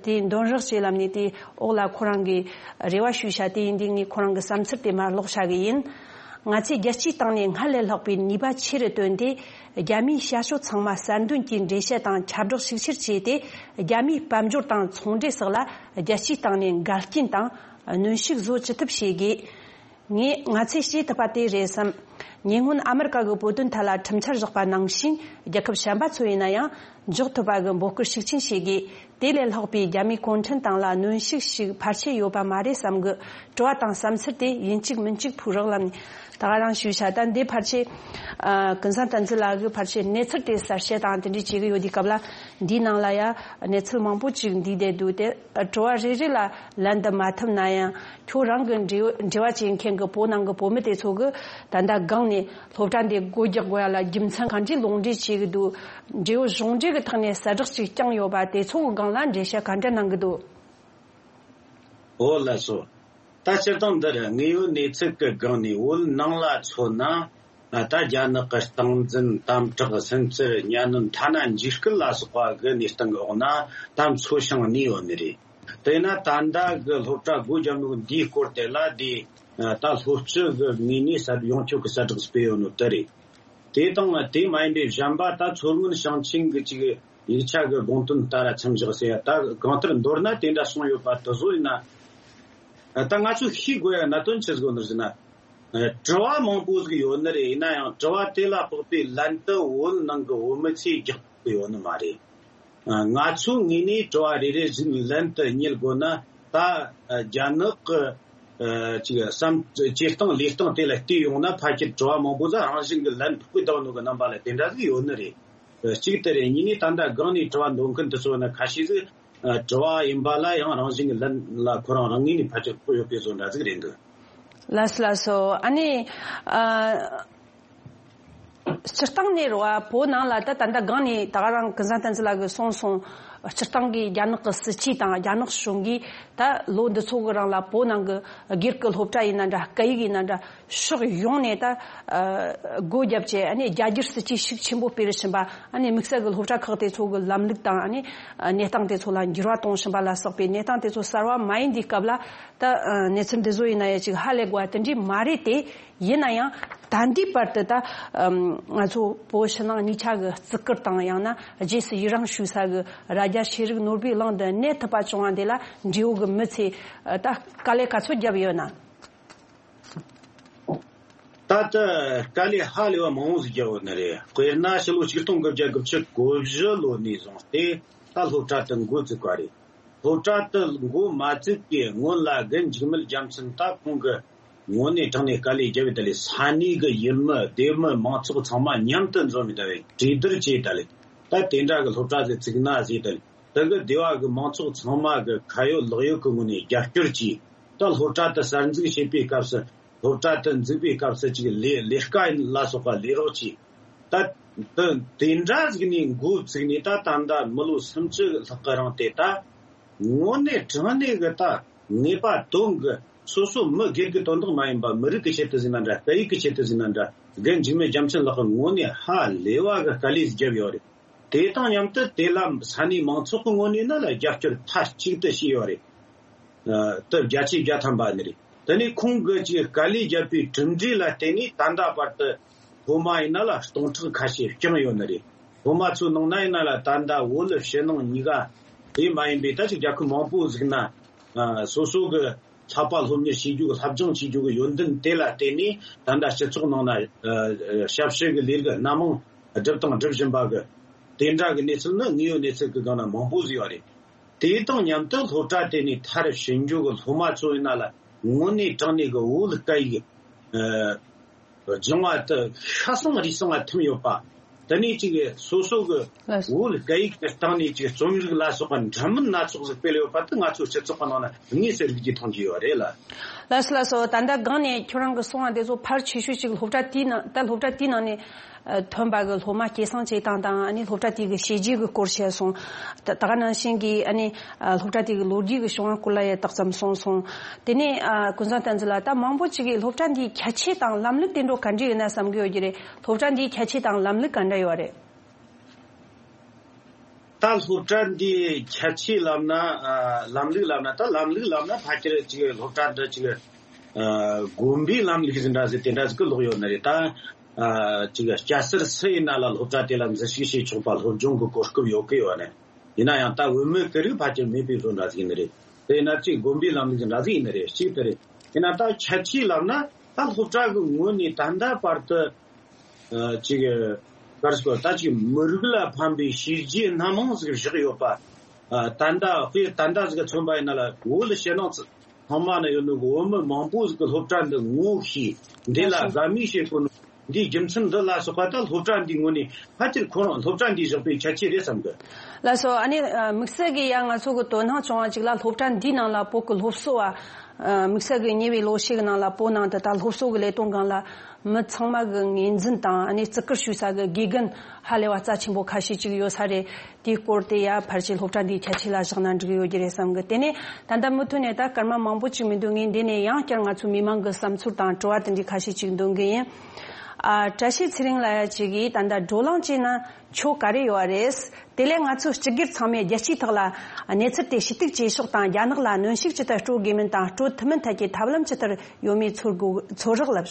དེ་འདོན་རོགས་བྱེད་ལབ་ནས་དེ་འོག་ལ་ཁོ་རང་གིས་རེ་བ་ཞུས་ཤག་དེ་ཡིན་དུས་ངས་ཁོ་རང་གི་བསམ་ཚུལ་དེ་མར་ཀློག་བྱ་གི་ཡིན། ང་ཚོས་རྒྱལ་སྤྱིའི་སྟེང་ནས་སྔར་ལས་ལྷག་པའི་ནུས་པ་ཆེ་རུ་བཏོན་ཏེ། རྒྱ་མིའི་བྱ་སྤྱོད་ཚང་མ་གསར་འདོན་གྱིས་འགྲེལ་བཤད་དང་ཁྱབ་བསྒྲགས་ཤུགས་ཆེར་བྱས་ཏེ། རྒྱ་མིའི་དཔལ་འབྱོར་དང་ཚོང་འབྲེལ་སོགས་ལ་རྒྱལ་སྤྱིའི་སྟེང་ནས་འགལ་རྐྱེན་དང་གནོན་ཤུགས་བཟོ་ཅི་ཐུབ་བྱེད་དགོས། ངས་ང་ཚོས་བྱེད་ཐུབ་པ་དེ་རེད་བསམ། ཉེ་སྔོན་ཨ་མི་རི་ཀ་གི་བོད་དོན་ཐད་ལ་ཁྲིམས་འཆར་བཞག་པ་ནང་བཞིན། རྒྱལ་ཁབ་གཞན་པ་ཚོ་ཡིན་ན་ཡང་འཇོག་ཐུབ་པ་གི་འབོད་སྐུལ་ཤུགས་ཆེན་བྱེད་དགོས། དེ་ལས་ལྷག་པའི་རྒྱ་མིའི་གུང་ཁྲན་ཏང་ལ་གནོན་ཤུགས་ཤིག་ཕལ་ཆེར་ཡོད་པ་མ་རེད་བསམ་གི། དྲི་བ་དང་བསམ་ཚུལ་དེ་ཡིན་གཅིག་མིན་གཅིག་ཕུལ་རོགས་ལབ་ནས་ད་ག་རང་ཞུས་ཤག་ད་འདི་ཕལ་ཆེར་ཨ་ཀུན་བཟང་བསྟན་འཛིན་ལགས་ཀྱིས་ཕལ་ཆེར་གནས་ཚུལ་དེ་གསལ་བཤད་དང་དེ་འདྲ་བྱེད་ཀྱི་ཡོད་དུས་སྐབས་ལ། འདིའི་ནང་ལ་ཡང་གནས་ཚུལ་མང་པོ་ཅིག་འདུས་བསྡད་འདུག་དེ་དྲི་བ་རེ་རེ་ལ་ལན་འདེབས་མ་ཐུབ་ན་ཡང་། ཁྱོད་རང་གི་འབྲེལ་འབྲེལ་བ་བྱེད་མཁན་གྱི་བོད་ནང་གི་བོད་མི་དེ་ཚོ་གི་ད་ལྟ་སྒང་ནས་སློབ་གྲྭ་འདི་སྒོ་རྒྱག་དགོས་ཡ་ལ་རྒྱུ་མཚན་གང་འདྲའི་ལུང་འདྲེན་བྱེད་ཀྱི་འདུག་འབྲེལ་ཡོད་གཞུང་འབྲེལ་གྱི་ཐོག་ནས་གསལ་བསྒྲགས་ཅིག་བསྐྱངས་ཡོད་པ་དེ་ཚོ་གི་སྒང་ལ་འགྲེལ་བཤད་ག་འདྲ་གནང་གི་འདུག་འོ་ལགས་སོ། ད་སྤྱིར་བཏང་འདིར་དངོས་ཡོད་གནས་ཚུལ་གྱི་སྒང་ནས་བོད་ནང་ལ་མཚོན་ན། ད་རྒྱ་ནག་གི་སྟངས་འཛིན་དམ་དྲག་སུན་གཙེར་གཉའ་གནོན་ཐ་ན་འཇིགས་སྐུལ་ལ་སོགས་པ་གི་གནས་སྟངས་ཀྱི་འོག་ན་ད་མཚོ་བྱང་གནས་ཡོད་ནི་རེད། དེས་ན་ད་ལྟ་གི་སློབ་གྲྭ་སྒོ་བརྒྱབ་ནོ་འདིའི་སྐོར་དེ་ལ་དེ་ད་སློབ་སྤྱི་གི་ངོས་ནས་གསལ་ཡོངས་ཁྱབ་ཀྱི་གསལ་བསྒྲགས་སྤེལ་ཡོད་ནོ་དེ་རེད། དེ་དང་དེ་མ་ཡིན་པའི་གཞན་པ་ད་མཚོ་སྔོན་ཞིང་ཆེན་གྱི་ཅིག་ཡིག་ཆ་གི་དགོངས་དོན་ལྟར་མཚམས་བཞག་ཟེར་ཡ། ད་གང་ལྟར་མདོར་ན་དེ་འདྲ་གསུངས་ཡོད་པ་དེ་བཟོ་ཡིན་ན། ད་ང་ཚོས་ཤེས་དགོས་ཡ་གནད་དོན་ཆི་ཟིག་ཡོད་ནི་ཟེར་ན། དྲི་བ་མང་པོ་ཟིག་ཡོད་ནི་རེད། ཡིན་ན་ཡང་དྲི་བ་དེ་ལ་དཔག་པའི་ལན་དུ་བོད་ནང་གི་བོད་མི་ཚོས་རྒྱག་གི་ཡོད་ནི་མ་རེད། ང་ཚོའི་ངོས་ནས་དྲི་བ་རེ་རེ་བཞིན་ལན་དུ་བསྙད་དགོས་ན། ད་རྒྱ་ནག་གི་ཅིག་བསམ་བྱེད་སྟངས་ལས་སྟངས་དེ་ལ་བལྟས་ཡོང་ན། ཕལ་ཆེར་དྲི་བ་མང་པོ་ཟིག་རང་བཞིན་གྱི་ལན་ཕོག་གི་བསྡད་ནོ་གི་རྣམ་པ་ལ་དེ་འདྲ་ཟིག་ཡོད་ནི་རེད། གཅིག་དེ་རེད། གཉིས་ནས་ད་ལྟ་སྒང་ནས་དྲི་བ་འདོན་མཁན་དེ་ཚོ་ནི་ཁ་ཤས་ཟིག་དྲི་བ་ཡིན་པ་ལ་ཡང་རང་བཞིན་གྱི་ལན་ལ་ཁོ་རང་རང་ངོས་ནས་ཕལ་ཆེར་ཕོག་ཡོད་པའི་བཟོ་འདྲ་ཟིག་རེད་འདུག་ལགས་སོ། ལགས་སོ། ཨ་ནི་ཨ། སྤྱིར་བཏང་ནས་རེད་བ། བོད་ནང་ལ་ད་ད་ལྟ་སྒང་ནས་ད་ག་རང་ཀུན་བཟང་བསྟན་འཛིན་ལགས་ཀྱིས་གསུངས་སོང་། སྤྱིར་བཏང་གི་རྒྱ་ནག་གི་སྲིད་ཇུས་དང་རྒྱ་ནག་གཞུང་གིས་ད་ལོ་འདི་ཚོ་གི་རིང་ལ་བོད་ནང་གི་སྒེར་གྱི་སློབ་གྲྭ་ཡིན་ན་འདྲ། སྐད་ཡིག་ཡིན་ན་འདྲ། ཕྱོགས་ཡོངས་ནས་ད་ཨ་སྒོ་བརྒྱབ་བྱས། ཨ་ནི་རྒྱ་སྒྱུར་སྲིད་ཇུས་ཤུགས་ཆེན་པོ་སྤེལ་བཞིན་པ། ཨ་ནི་དམིགས་བསལ་གྱི་སློབ་གྲྭ་ཁག་དེ་ཚོ་གི་ལམ་ལུགས་དང་། ཨ་ནི་གནས་སྟངས་དེ་ཚོ་ལ་འགྱུར་བ་གཏོང་བཞིན་པ་ལ་སོགས་པའི་གནས་སྟངས་དེ་ཚོ་གསར་བ་མ་ཡིན་དུས་སྐབས་ལ། ད་ཨ་གནས་ཚུལ་འདི་ཚོ་ཡིན་ན་ཡང་ཅིག་ཧ་ལས་དགོས་པ་དེ་འདྲས་མ་རེད་དེ། ཡིན་ན་ཡང་ད་ལྟའི་བར་དུ་ད་ཨམ་ང་ཚོ་བོད་ཕྱི་ནང་གཉིས་ཆ་གི་བརྩི་བཀུར་དང་། ཡང་ན་རྗེས་སུ་ཡི་རང་ཞུ་ས་གི་རྭ་རྒྱ་ཤེས་རིག་ནོར་བུའི་གླིང་དུ་གནས་ཐུབ་པ་བྱུང་བ་འདི་ལ་འབྲེལ་ཡོད་གི་མི་ཚོས་ཨ་ད་དཀའ་ལས་ག་ཚོད་བརྒྱབ་ཡོད་ན། ད་ལྟ་དཀའ་ལས་ཧ་ལས་པ་མང་བོ་ཟིག་བརྒྱབ་ཡོད་ནི་རེད། དཔེར་ན་ཕྱི་ལོ་ཆིག་སྟོང་དགུ་བརྒྱ་དགུ་བཅུ་གོ་བཞི་ལོ་ནས་བཟུང་སྟེ་ད་སློབ་གྲྭ་དེ་འགོ་བཙུགས་པ་རེད། སློབ་གྲྭ་དེ་འགོ་མ་བཙུགས་པའི་སྔོན་ལ་རྒན་འཇིགས་མེད་རྒྱལ་མཚན་ད་ཁོང་གི་དངོས་གནས་དྲང་གནས་དཀའ་ལས་བརྒྱབ་ཡོད། ད་ལས་ས་གནས་གི་ཡུལ་མི་སྡེ་མི་མང་ཚོགས་ཚང་མ་མཉམ་དུ་འཛོམས་ཡོད། ད་ལས་གྲོས་བསྡུར་བྱས། ད་ལས་ད་དེ་འདྲ་གི་སློབ་གྲྭ་ཟིག་བཙུགས་ན་ཟེར། ད་ལས་དེ་གི་སྡེ་བ་གི་མང་ཚོགས་ཚང་མ་གི་ཁ་ཡོད་ལག་ཡོད་གི་ངོས་ནས་རྒྱབ་སྐྱོར་གྱིས། ད་སློབ་གྲྭ་དེ་གསར་འཛུགས་བྱེད་པའི་སྐབས་སུ། སློབ་གྲྭ་དེ་འཛུགས་པའི་སྐབས་སུ་ཅིག་ལས་ལས་ཀ་ལ་སོགས་པ་ལས་རོགས་གྱིས། ད་དེ་དེ་འདྲ་ཟིག་ནས་འགོ་བཙུགས་ནས་ད་ད་ལྟ་མི་ལོ་སུམ་ཅུ་ལྷག་གི་རིང་དེ་ད་དངོས་གནས་དྲང་གནས་གི་ད་ངེས་པ་དོན་གི་སོ་སོ་མི་སྒེར་གི་དོན་དག་མ་ཡིན་པ། མི་རིགས་ཀྱི་ཆེད་དུ་ཟིག་ན་འདྲ། སྐད་ཡིག་གི་ཆེད་དུ་ཟིག་ན་འདྲ། རྒན་འཇིགས་མེད་རྒྱལ་མཚན་ལགས་ཀྱིས་དངོས་གནས་ཧ་ལས་པ་གི་དཀའ་ལས་བརྒྱབ་ཡོད་རེད། དེ་དང་མཉམ་དུ་དེ་ལ་ས་གནས་མང་ཚོགས་ཀྱི་ངོས་ནས་ནི་ལ་རྒྱབ་སྐྱོར་མཐའ་གཅིག་ཏུ་བྱས་ཡོད་རེད། ཨ་ད་བརྒྱ་ཆའི་བརྒྱ་ཐམ་པ་ནི་རེད། དེ་ནས་ཁོང་གིས་ཅིག་དཀའ་ལས་བརྒྱབ་པའི་གྲུབ་འབྲས་ལ་བརྟེན་ནས་ད་ལྟ་བར་དུ་སློབ་མ་ཡིན་ན་ལ་སྟོང་ཕྲག་ཁ་ཤས་བསྐྱངས་ཡོད་ནི་རེད། སློབ་མ་ཚོའི་ནང་ན་ཡིན་ན་ལ་ད་ལྟ་བོད་ཕྱི་ནང་གཉིས་ཀ་ དེ་མ་ཡིན་པའི་ད་ཅིག་རྒྱལ་ཁབ་མང་པོ་ཟིག་ན་ཨ་སོ་སོ་གི་ལྷག་པ་སློབ་གཉེར་བྱེད་རྒྱུ་གི་སློབ་སྦྱོང་བྱེད་རྒྱུ་གི་ཡོན་ཏན་དེ་ལ་བརྟེན་ནས་ད་ལྟ་སྤྱི་ཚོགས་ནང་ན་ཨ་ཞབས་ཞུ་གི་ལས་ཀ་སྣ་མང་སྒྲུབ་དང་སྒྲུབ་བཞིན་པ་གི་དེ་འདྲ་གི་གནས་ཚུལ་ནི་དངོས་ཡོད་གནས་ཚུལ་གི་སྒང་ན་མང་པོ་ཟིག་ཡོད་རེད། དེ་དང་མཉམ་དུ་སློབ་གྲྭ་དེ་ནས་མཐར་ཕྱིན་རྒྱུ་གི་སློབ་མ་ཚོ་ཡིན་ན་ལ་དངོས་གནས་དྲང་གནས་གི་བོད་སྐད་ཡིག་ཨ་སྦྱང་བ་དེ་ཤ་གསང་རུས་གསང་ལ་ཐིམ་ཡོད་པ། དེ་ནས་ཅིག་སོ་སོ་གི་ལགས་སོ། བོད་སྐད་ཡིག་གི་སྟེང་ནས་ཅིག་རྩོམ་རིག་ལ་སོགས་པ་འདྲ་མིན་སྣ་ཚོགས་ཟིག་སྤེལ་ཡོད་པ་དེ་ང་ཚོའི་སྤྱི་ཚོགས་ཀྱི་ནང་ན་དངོས་སུ་རིག་རྒྱུ་མཐོང་རྒྱུ་ཡོད་རེད་ལ། ལགས་སོ་ལགས་སོ། ད་ལྟ་སྒང་ནས་ཁྱོད་རང་གི་གསུང་བ་དེ་ཚོ་ཕལ་ཆེ་ཤོས་ཅིག་སློབ་གྲྭ་དེའི་ནང་ད་སློབ་གྲྭ་དེའི་ནང་ནས་ཨ་ཐོན་པ་གི་སློབ་མ་སྐྱེད་སྲིང་བྱེད་སྟངས་དང་ཨ་ནི་སློབ་གྲྭ་དེ་གི་བྱས་རྗེས་གི་སྐོར་བཤད་སོང་། ད་ད་ག་ནང་བཞིན་གྱི་ཨ་ནི་ཨ་སློབ་གྲྭ་དེ་གི་ལོ་རྒྱུས་གི་བྱུང་བ་སྐོར་ལ་ཡང་ཏོག་ཙམ་གསུངས་སོང་། དེ་ནས་ཨ་ཀུན་བཟང་བསྟན་འཛིན་ལགས། ད་མང་པོ་ཅིག་གིས་སློབ་གྲྭ་འདིའི་ཁྱད་ཆོས་དང་ལམ་ལུགས་དེ་འདྲ་ག་འདྲ་ཡོད་ན་བསམ་གི་ཡོད་ཀྱི་རེད། སློབ་གྲྭ་འདིའི་ཁྱད་ཆོས་དང་ལམ་ལུགས་ག་འདྲ་ཡོད་རེད། ད་སློབ་གྲྭ་འདིའི་ཁྱད་ཆོས་ལབ་ན་ཨ་ལམ་ལུགས་ལབ་ན་ད་ལམ་ལུགས་ལབ་ན་ཕལ་ཆེར་ཅིག་སློབ་གྲྭ་འདི་ཅིག་ཨ་དགོན་པའི་ལམ་ལུགས་ཟིན་འདྲ་ཟིག་དེ་འདྲ་ཟིག་གི་ལོག་ཡོད་ནི་རེད། ད་ཨ་ཅིག་སྐྱ་སེར་སུ་ཡིན་ན་ལ་སློབ་གྲྭ་དེ་ལ་འཛུལ་ཞུགས་བྱེད་ཆོག་པ་སློབ་སྦྱོང་གི་གོ་སྐབས་ཡོད་གི་ཡོད་ནི། ཡིན་ན་ཡང་ད་བུད་མེད་ཀྱི་རིགས་ཕལ་ཆེར་མེད་པའི་བཟོ་འདྲ་ཟིག་ཡིན་ནི་རེད། དེ་ཡིན་ན་ཅིག་དགོན་པའི་ལམ་ལུགས་འདྲ་ཟིག་ཡིན་ནི་རེད། གཅིག་དེ་རེད། ཡིན་ན་ད་ཁྱད་ཆོས་ལབ་ན་ད་སློབ་གྲྭ་གི་ངོས་ནས་ད་ལྟ་བར་དུ་ཨ་ཅིག་ག་རེ་ཟེར་ད་ཅིག་མི་རིགས་ལ་ཕན་པའི་བྱས་རྗེས་སྣ་མང་ཟིག་བཞག་ཡོད་པ། ཨ་ད་ལྟ་དཔེ་ད་ལྟ་ཟིག་ག་མཚོན་པ་ཡིན་ན་ལ་བོད་ལ་ཕྱི་ནང་ཚང་མ་ན་ཡོད་ནོ་གི་བོད་མི་མང་པོ་ཟིག་གི་སློབ་གྲྭ་འདི་ངོ་ཤེས། འདི་ལ་དགའ་མོས་བྱེད་དགོས་ནོ། འདིའི་རྒྱུ་མཚན་འདི་ལ་སོགས་པ་ད་སློབ་གྲྭ་འདིའི་ངོས་ནས་ཕལ་ཆེར་ཁོ་རང་སློབ་གྲྭ་འདིས་བཞག་པའི་ཁྱད་ཆོས་རེད་བསམ་གི། ལགས་སོ། ཨ་ནི་ཨ་དམིགས་བསལ་གྱི་ཡང་ང་ཚོ་གི་དོ་སྣང་བྱུང་བ་ཅིག་ལ་སློབ་གྲྭ་འདིའི་ནང་ལ་བོད་ཀྱི་སློབ་གསོ་བ་ཨ་དམིགས་བསལ་གྱི་ཉེ་བའི་ལོ་ཤས་ཀྱི་ནང་ལ་བོད་ནང་དུ་ད་སློབ་གསོ་གི་ལས་དོན་སྒང་ལ་མི་ཚང་མ་གི་ངོས་འཛིན་དང་ཨ་ནི་བརྩི་བཀུར་ཞུ་ས་གི་དགེ་རྒན་ཧ་ལས་པ་རྩ་ཆེན་པོ་ཁ་ཤས་ཅིག་ཡོད་ས་རེད། དེའི་སྐོར་དེ་ཡ་ཕལ་ཆེར་སློབ་གྲྭ་འདིའི་ཁྱད་ཆོས་ལ་བཞག་ན་འགྲིག་ཡོད་ཀྱི་རེད་བསམ་གི། དེ་ནས་ད་ལྟ་མུ་མཐུད་ནས་ད་སྐར་མ་མང་པོ་ཅིག་མི་འདུག་ངས་འདི་ནས་ཡང་བསྐྱར་ང་ཚོའི་མི་མང་གི་བསམ་ཚུལ་དང་དྲི་བ་དེ་འདྲའི་ཁ་ཤས་ཅིག་འདོན་གི་ཡིན། ཨ་བཀྲ་ཤིས་ཚེ་རིང་ལགས་ཡ་ཅིག་གིས་ད་ལྟ་བགྲོ་གླེང་བྱས་ན་ཆོ་ག་རེ་ཡོད་རེད། དེ་ལས་ང་ཚོ་སྤྱི་སྒེར་ཚང་མས་རྒྱལ་སྤྱིའི་ཐོག་ལ་གནས་ཚུལ་དེ་ཞུ་གཏུག་བྱེད་ཕྱོགས་དང་རྒྱ་ནག་ལ་གནོན་ཤུགས་ཇི་ལྟར་སྤྲོད་དགོས་མིན་དང་སྤྲོད་ཐུབ་མིན་ཐད་ཀྱི་ཐབས་ལམ་ཇི་ལྟར་ཡོད་མེད་ཚོར་དགོས་ཚོར་རག་ལབ།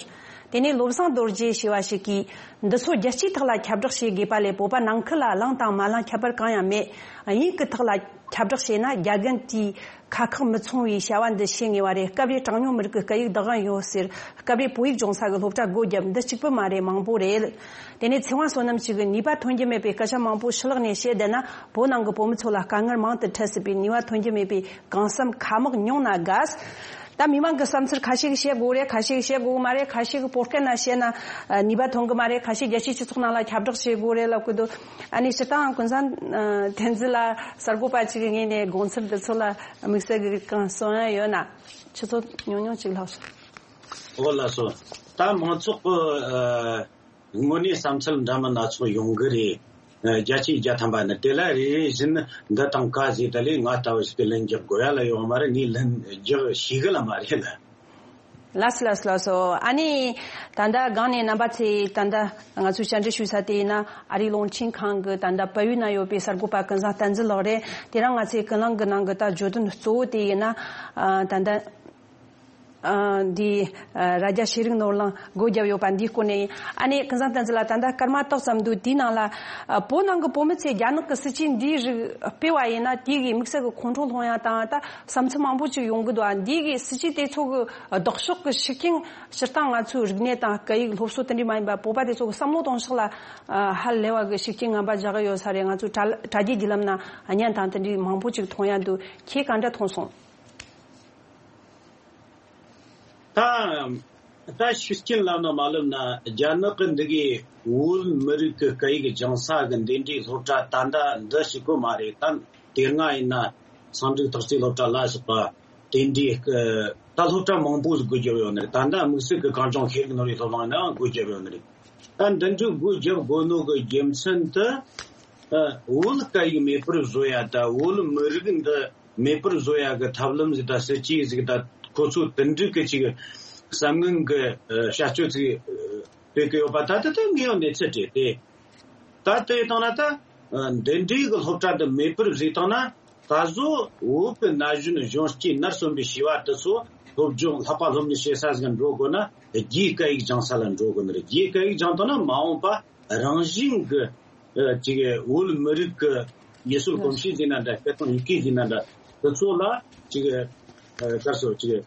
དེ་ནས་བློ་བཟང་རྡོ་རྗེ་ཞེས་པ་ཞིག་གིས། འདི་ཚོ་རྒྱལ་སྤྱིའི་ཐོག་ལ་ཁྱབ་བསྒྲགས་བྱེད་དགོས་པ་ལས་བོད་པ་ནང་ཁུལ་ལ་བླངས་དང་མ་བླངས་ཁྱད་པར་གང་ཡང་མེད། དབྱིན་ཡིག་གི་ཐོག་ལ་ཁྱབ་བསྒྲགས་བྱས་ན་རྒྱ་རྒན་དེས་ཁ་ཁག་མི་ཚང་བའི་བྱ་བ་འདི་བྱེད་ངེས་པ་རེད། སྐབས་རེ་གྲངས་ཉུང་མི་རིགས་ཀྱི་སྐད་ཡིག་བདག་དབང་ཡོད་ཟེར། སྐབས་རེ་བོད་ཡིག་སྦྱོང་ས་གི་སློབ་གྲྭ་སྒོ་བརྒྱབ། འདི་གཅིག་པུ་མ་རེད། མང་པོ་རེད། དེ་ནས་ཚེ་དབང་བསོད་ནམས་ཅིག་གིས་ནུས་པ་ཐོན་རྒྱུ་མེད་པའི་སྐད་ཆ་མང་པོ་ཕྱི་ལོགས་ནས་བཤད་བསྡད་ན་བོད་ནང་གི་བོད་མི་ཚོ་ལ་དཀའ་ངལ་མང་དུ་འཕྲད་སྲིད་པས་ནུས་པ་ཐོན་རྒྱུ་མེད་པའི་གང་བསམ་ཁ་མོག་ཉུང་ན་དགའ། ད་མི་མང་གི་བསམ་ཚུལ་ཁ་ཤས་ཤིག་བཤད་དགོས་རེད། ཁ་ཤས་ཤིག་བཤད་དགོས་གི་མ་རེད། ཁ་ཤས་ཀྱིས་བོད་སྐད་ནང་བཤད་ན་ནུས་པ་ཐོན་གི་མ་རེད། ཁ་ཤས་རྒྱལ་སྤྱིའི་སྤྱི་ཚོགས་ནང་ལ་ཁྱབ་བསྒྲགས་བྱེད་དགོས་རེད་ལབ་གི་འདུག་ཨ་ནི་སྤྱིར་བཏང་ཀུན་བཟང་བསྟན་འཛིན་ལ་གསར་འགོད་པ་ཅིག་གི་ངོས་ནས་དགོངས་ཚུལ་འདི་ཚོ་ལ་དམིགས་བསལ་གྱི་གང་གསུང་ཡ་ཡོད་ན་ཆུ་ཚོད་ཉུང་ཉུང་ཅིག་ལྷག་སོང་། ཨོ་ལགས་སོ། ད་མང་ཚོགས་ཀྱི་ཨ་དངོས་གནས་བསམ་ཚུལ་འདྲ་མིན་སྣ་ཚོགས་ཡོང་གི་རེད། ཨ་བརྒྱ་ཆའི་བརྒྱ་ཐམ་པ་ནི་དེ་ལ་རེ་རེ་བཞིན་འདི་དང་ག་ཟེར་ད་ལས་ང་ལྟ་བུ་ཞིག་གི་ལན་རྒྱག་དགོས་ཡ་ལ་ཡོང་མ་རེད། ངས་ལན་རྒྱག་ཤེས་གི་ལ་མ་རེད་ལ། ལགས་སོ་ལགས་སོ་ལགས་སོ། ཨ་ནི་ད་ལྟ་སྒང་ནས་རྣམ་པ་ཚོས་ད་ལྟ་ང་ཚོས་བཅར་འདྲི་ཞུ་ས་དེ་ཡིན་ན་ཨ་རིའི་རླུང་འཕྲིན་ཁང་གི་ད་ལྟ་བལ་ཡུལ་ན་ཡོད་པའི་གསར་འགོད་པ་ཀུན་བཟང་བསྟན་འཛིན་ལགས་རེད། དེ་རིང་ང་ཚོའི་ཀུན་གླེང་གི་ནང་གི་ད་བརྗོད་དོན་གཙོ་བོ་དེ་ཡིན་ན་ཨ་ད་ལྟ་ཨ་འདི་ཨ་རྭ་རྒྱ་ཤེས་རིག་ནོར་གླིང་སྒོ་བརྒྱབ་ཡོད་པ་འདིའི་སྐོར་ནས་ཡིན། ཨ་ནི་ཀུན་བཟང་བསྟན་འཛིན་ལགས། ད་ལྟ་སྐར་མ་ཏོག་ཙམ་འདུག་དེའི་ནང་ལ་ཨ་བོད་ནང་གི་བོད་མི་ཚོས་རྒྱ་ནག་གི་སྲིད་ཇུས་འདིའི་རིགས་སྤེལ་བ་ཡིན་ན་དེ་གི་དམིགས་བསལ་གྱི་ཁོང་ཁྲོ་སློང་ཡ་དང་ད་བསམ་ཚུལ་མང་པོ་ཅིག་ཡོང་གི་འདུག་ཨ་འདི་གི་སྲིད་ཇུས་དེ་ཚོ་གི་ལྡོག་ཕྱོགས་ཀྱི་ཤུགས་རྐྱེན་སྤྱིར་བཏང་ང་ཚོའི་རིག་གནས་དང་སྐད་ཡིག་སློབ་གསོ་དེ་འདྲའི་མ་ཡིན་པ་བོད་པ་དེ་ཚོ་གི་བསམ་བློ་གཏོང་ཕྱོགས་ལ་ཨ་ཧ་ལས་པ་གི་ཤུགས་རྐྱེན་ངན་པ་རྒྱག་གི་ཡོད་ས་རེད། ང་ཚོའི་དྲ་དྲ་རྒྱའི་བརྒྱུད་ལམ་ན་བརྙན་དང་དེ་འདྲའི་མང་པོ་ཅིག་མཐོང་ཡ་འདུག་ཁྱེད་ག་འདྲ་མཐོང་སོང་། ད་ད་ཤུགས་རྐྱེན་ལབ་ན་མ་ལབ་ན་རྒྱ་ནག་གི་འདི་གའི་བོད་མི་རིགས་ཀྱི་སྐད་ཡིག་སྦྱང་ས་གི་འདི་འདྲའི་སློབ་གྲྭ་ད་ལྟ་འདི་ཞིག་གི་མ་རེད། ད་དེ་སྔ་ཡིན་ན་ཚན་རིག་ཐག་གཅོད་སློབ་གྲྭ་ལ་སོགས་པ་དེ་འདྲའི་ད་སློབ་གྲྭ་མང་པོ་ཟིག་སྒོ་བརྒྱབ་ཡོད་ནི་རེད། ད་ལྟ་དམིགས་བསལ་གྱི་གངས་ལྗོངས་ཤེས་རིག་ནོར་བུའི་སློབ་གླིང་ཡིན་ན་སྒོ་བརྒྱབ་ཡོད་ནི་རེད། ད་འདི་འདྲའི་སྒོ་བརྒྱབ་དགོས་ནོ་གི་རྒྱུ་མཚན་དེ་བོད་སྐད་ཡིག་མེད་པར་བཟོ་ཡ་ད་བོད་མི་རིགས་འདི་མེད་པར་བཟོ་ཡ་གི་ཐབས་ལམ་ཟིག་དང་སྲིད་ཇུས་ཟིག་དང་ཁོ་ཚོ་དེ་འདྲའི་གི་ཅིག་བསམ་ངན་གི་ཨ་བྱ་སྤྱོད་ཅིག་སྤེལ་གི་ཡོད་པ་ད་ལྟ་དེ་དངོས་ཡོད་གནས་ཚུལ་རེད་དེ། ད་ལྟ་ཡི་སྟེང་ན་ད་ཨ་འདི་འདྲའི་གི་སློབ་གྲྭ་འདི་མེད་པར་བཟོས་བཏང་ན་ད་གཟོད་བོད་གི་ན་གཞོན་གཞོན་སྐྱེས་ནར་སོན་པའི་བྱིས་པ་དེ་ཚོ་སློབ་སྦྱོང་ལྷག་པ་སློབ་གཉེར་བྱེད་ས་ཟིག་འགྲོ་དགོས་ན་རྒྱའི་སྐད་ཡིག་སྦྱང་ས་ལ་འགྲོ་དགོས་ནི་རེད། རྒྱའི་སྐད་ཡིག་སྦྱང་བཏང་ན་མ་འོངས་པ་རང་བཞིན་གི་ཨ་ཅིག་བོད་མི་རིགས་ཀྱི་ ཡུལ་སྲོལ་གོམས་གཤིས་ཟེར་ན་འདྲ། སྐད་གཏོང་ཡི་གེ་ཟེར་ན་འདྲ། དེ་ཚོ་ལ་ཅིག་ཨ་ག་རེ་ཟེར། ཅིག་ཨ་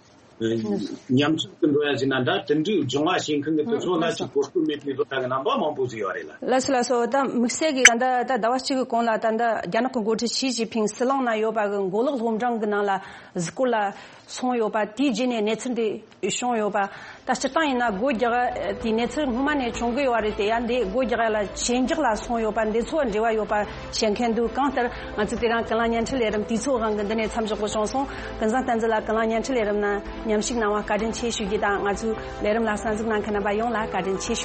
ཉམས་ཆག་ཏུ་འགྲོ་ཡ་ཟེར་ན་འདྲ། དེ་འདྲའི་སྦྱོང་བ་བྱེད་མཁན་གྱི་དེ་ཚོ་ལ་ཅིག་གོ་སྐབས་མེད་པའི་བཟོ་ལྟ་གི་རྣམ་པ་མང་པོ་ཟིག་ཡོད་རེད་ལ། ལགས་སོ་ལགས་སོ། ད་དམིགས་བསལ་གྱི་ད་ལྟ་ད་ཟླ་བ་གཅིག་གི་གོང་ལ་ད་ལྟ་རྒྱ་ནག་གི་འགོ་ཁྲིད་ཞི་ཅིན་ཕིང་ཟི་ལིང་ན་ཡོད་པ་གི་མགོ་ལོག་སློབ་འབྲིང་གི་ནང་ལ་གཟིགས་སྐོར་ལ་སོང་ཡོད་པ། དེའི་རྗེས་ནས་གནས་ཚུལ་འདི་བྱུང་ཡོད་པ། ད་སྤྱིར་བཏང་ཡིན་ན་སྒོ་རྒྱག་དེའི་གནས་ཚུལ་སྔོན་མ་ནས་བྱུང་གི་ཡོད་རེད་དེ། ཡང་འདི་སྒོ་རྒྱག་ཡ་ལ་ཞེན་རྒྱག་ལ་སོང་ཡོད་པ། འདི་ཚོ་འབྲེལ་བ་ཡོད་པ་བཤད་མཁན་འདུག། གང་ལྟར་ང་ཚོས་དེ་རིང་ཀུན་གླེང་བརྙན་འཕྲིན་ལས་རིམ་དུས་ཚོད་དབང་གིས་འདི་ནས་མཚམས་འཇོག་དགོས་བྱུང་སོང་། ཀུན་བཟང་བསྟན་འཛིན་ལགས་ཀུན་གླེང་བརྙན་འཕྲིན་ལས་རིམ་ནང་མཉམ་ཞུགས་གནང་བ་བཀའ་དྲིན་ཆེ་ཞུ་རྒྱུ་དང་། ང་ཚོའི་ལས་རིམ་ལ་གསན་གཟིགས་གནང་མཁན་རྣམ་པ་ཡོངས་ལ་བཀའ་དྲིན་ཆེ་ཞུ།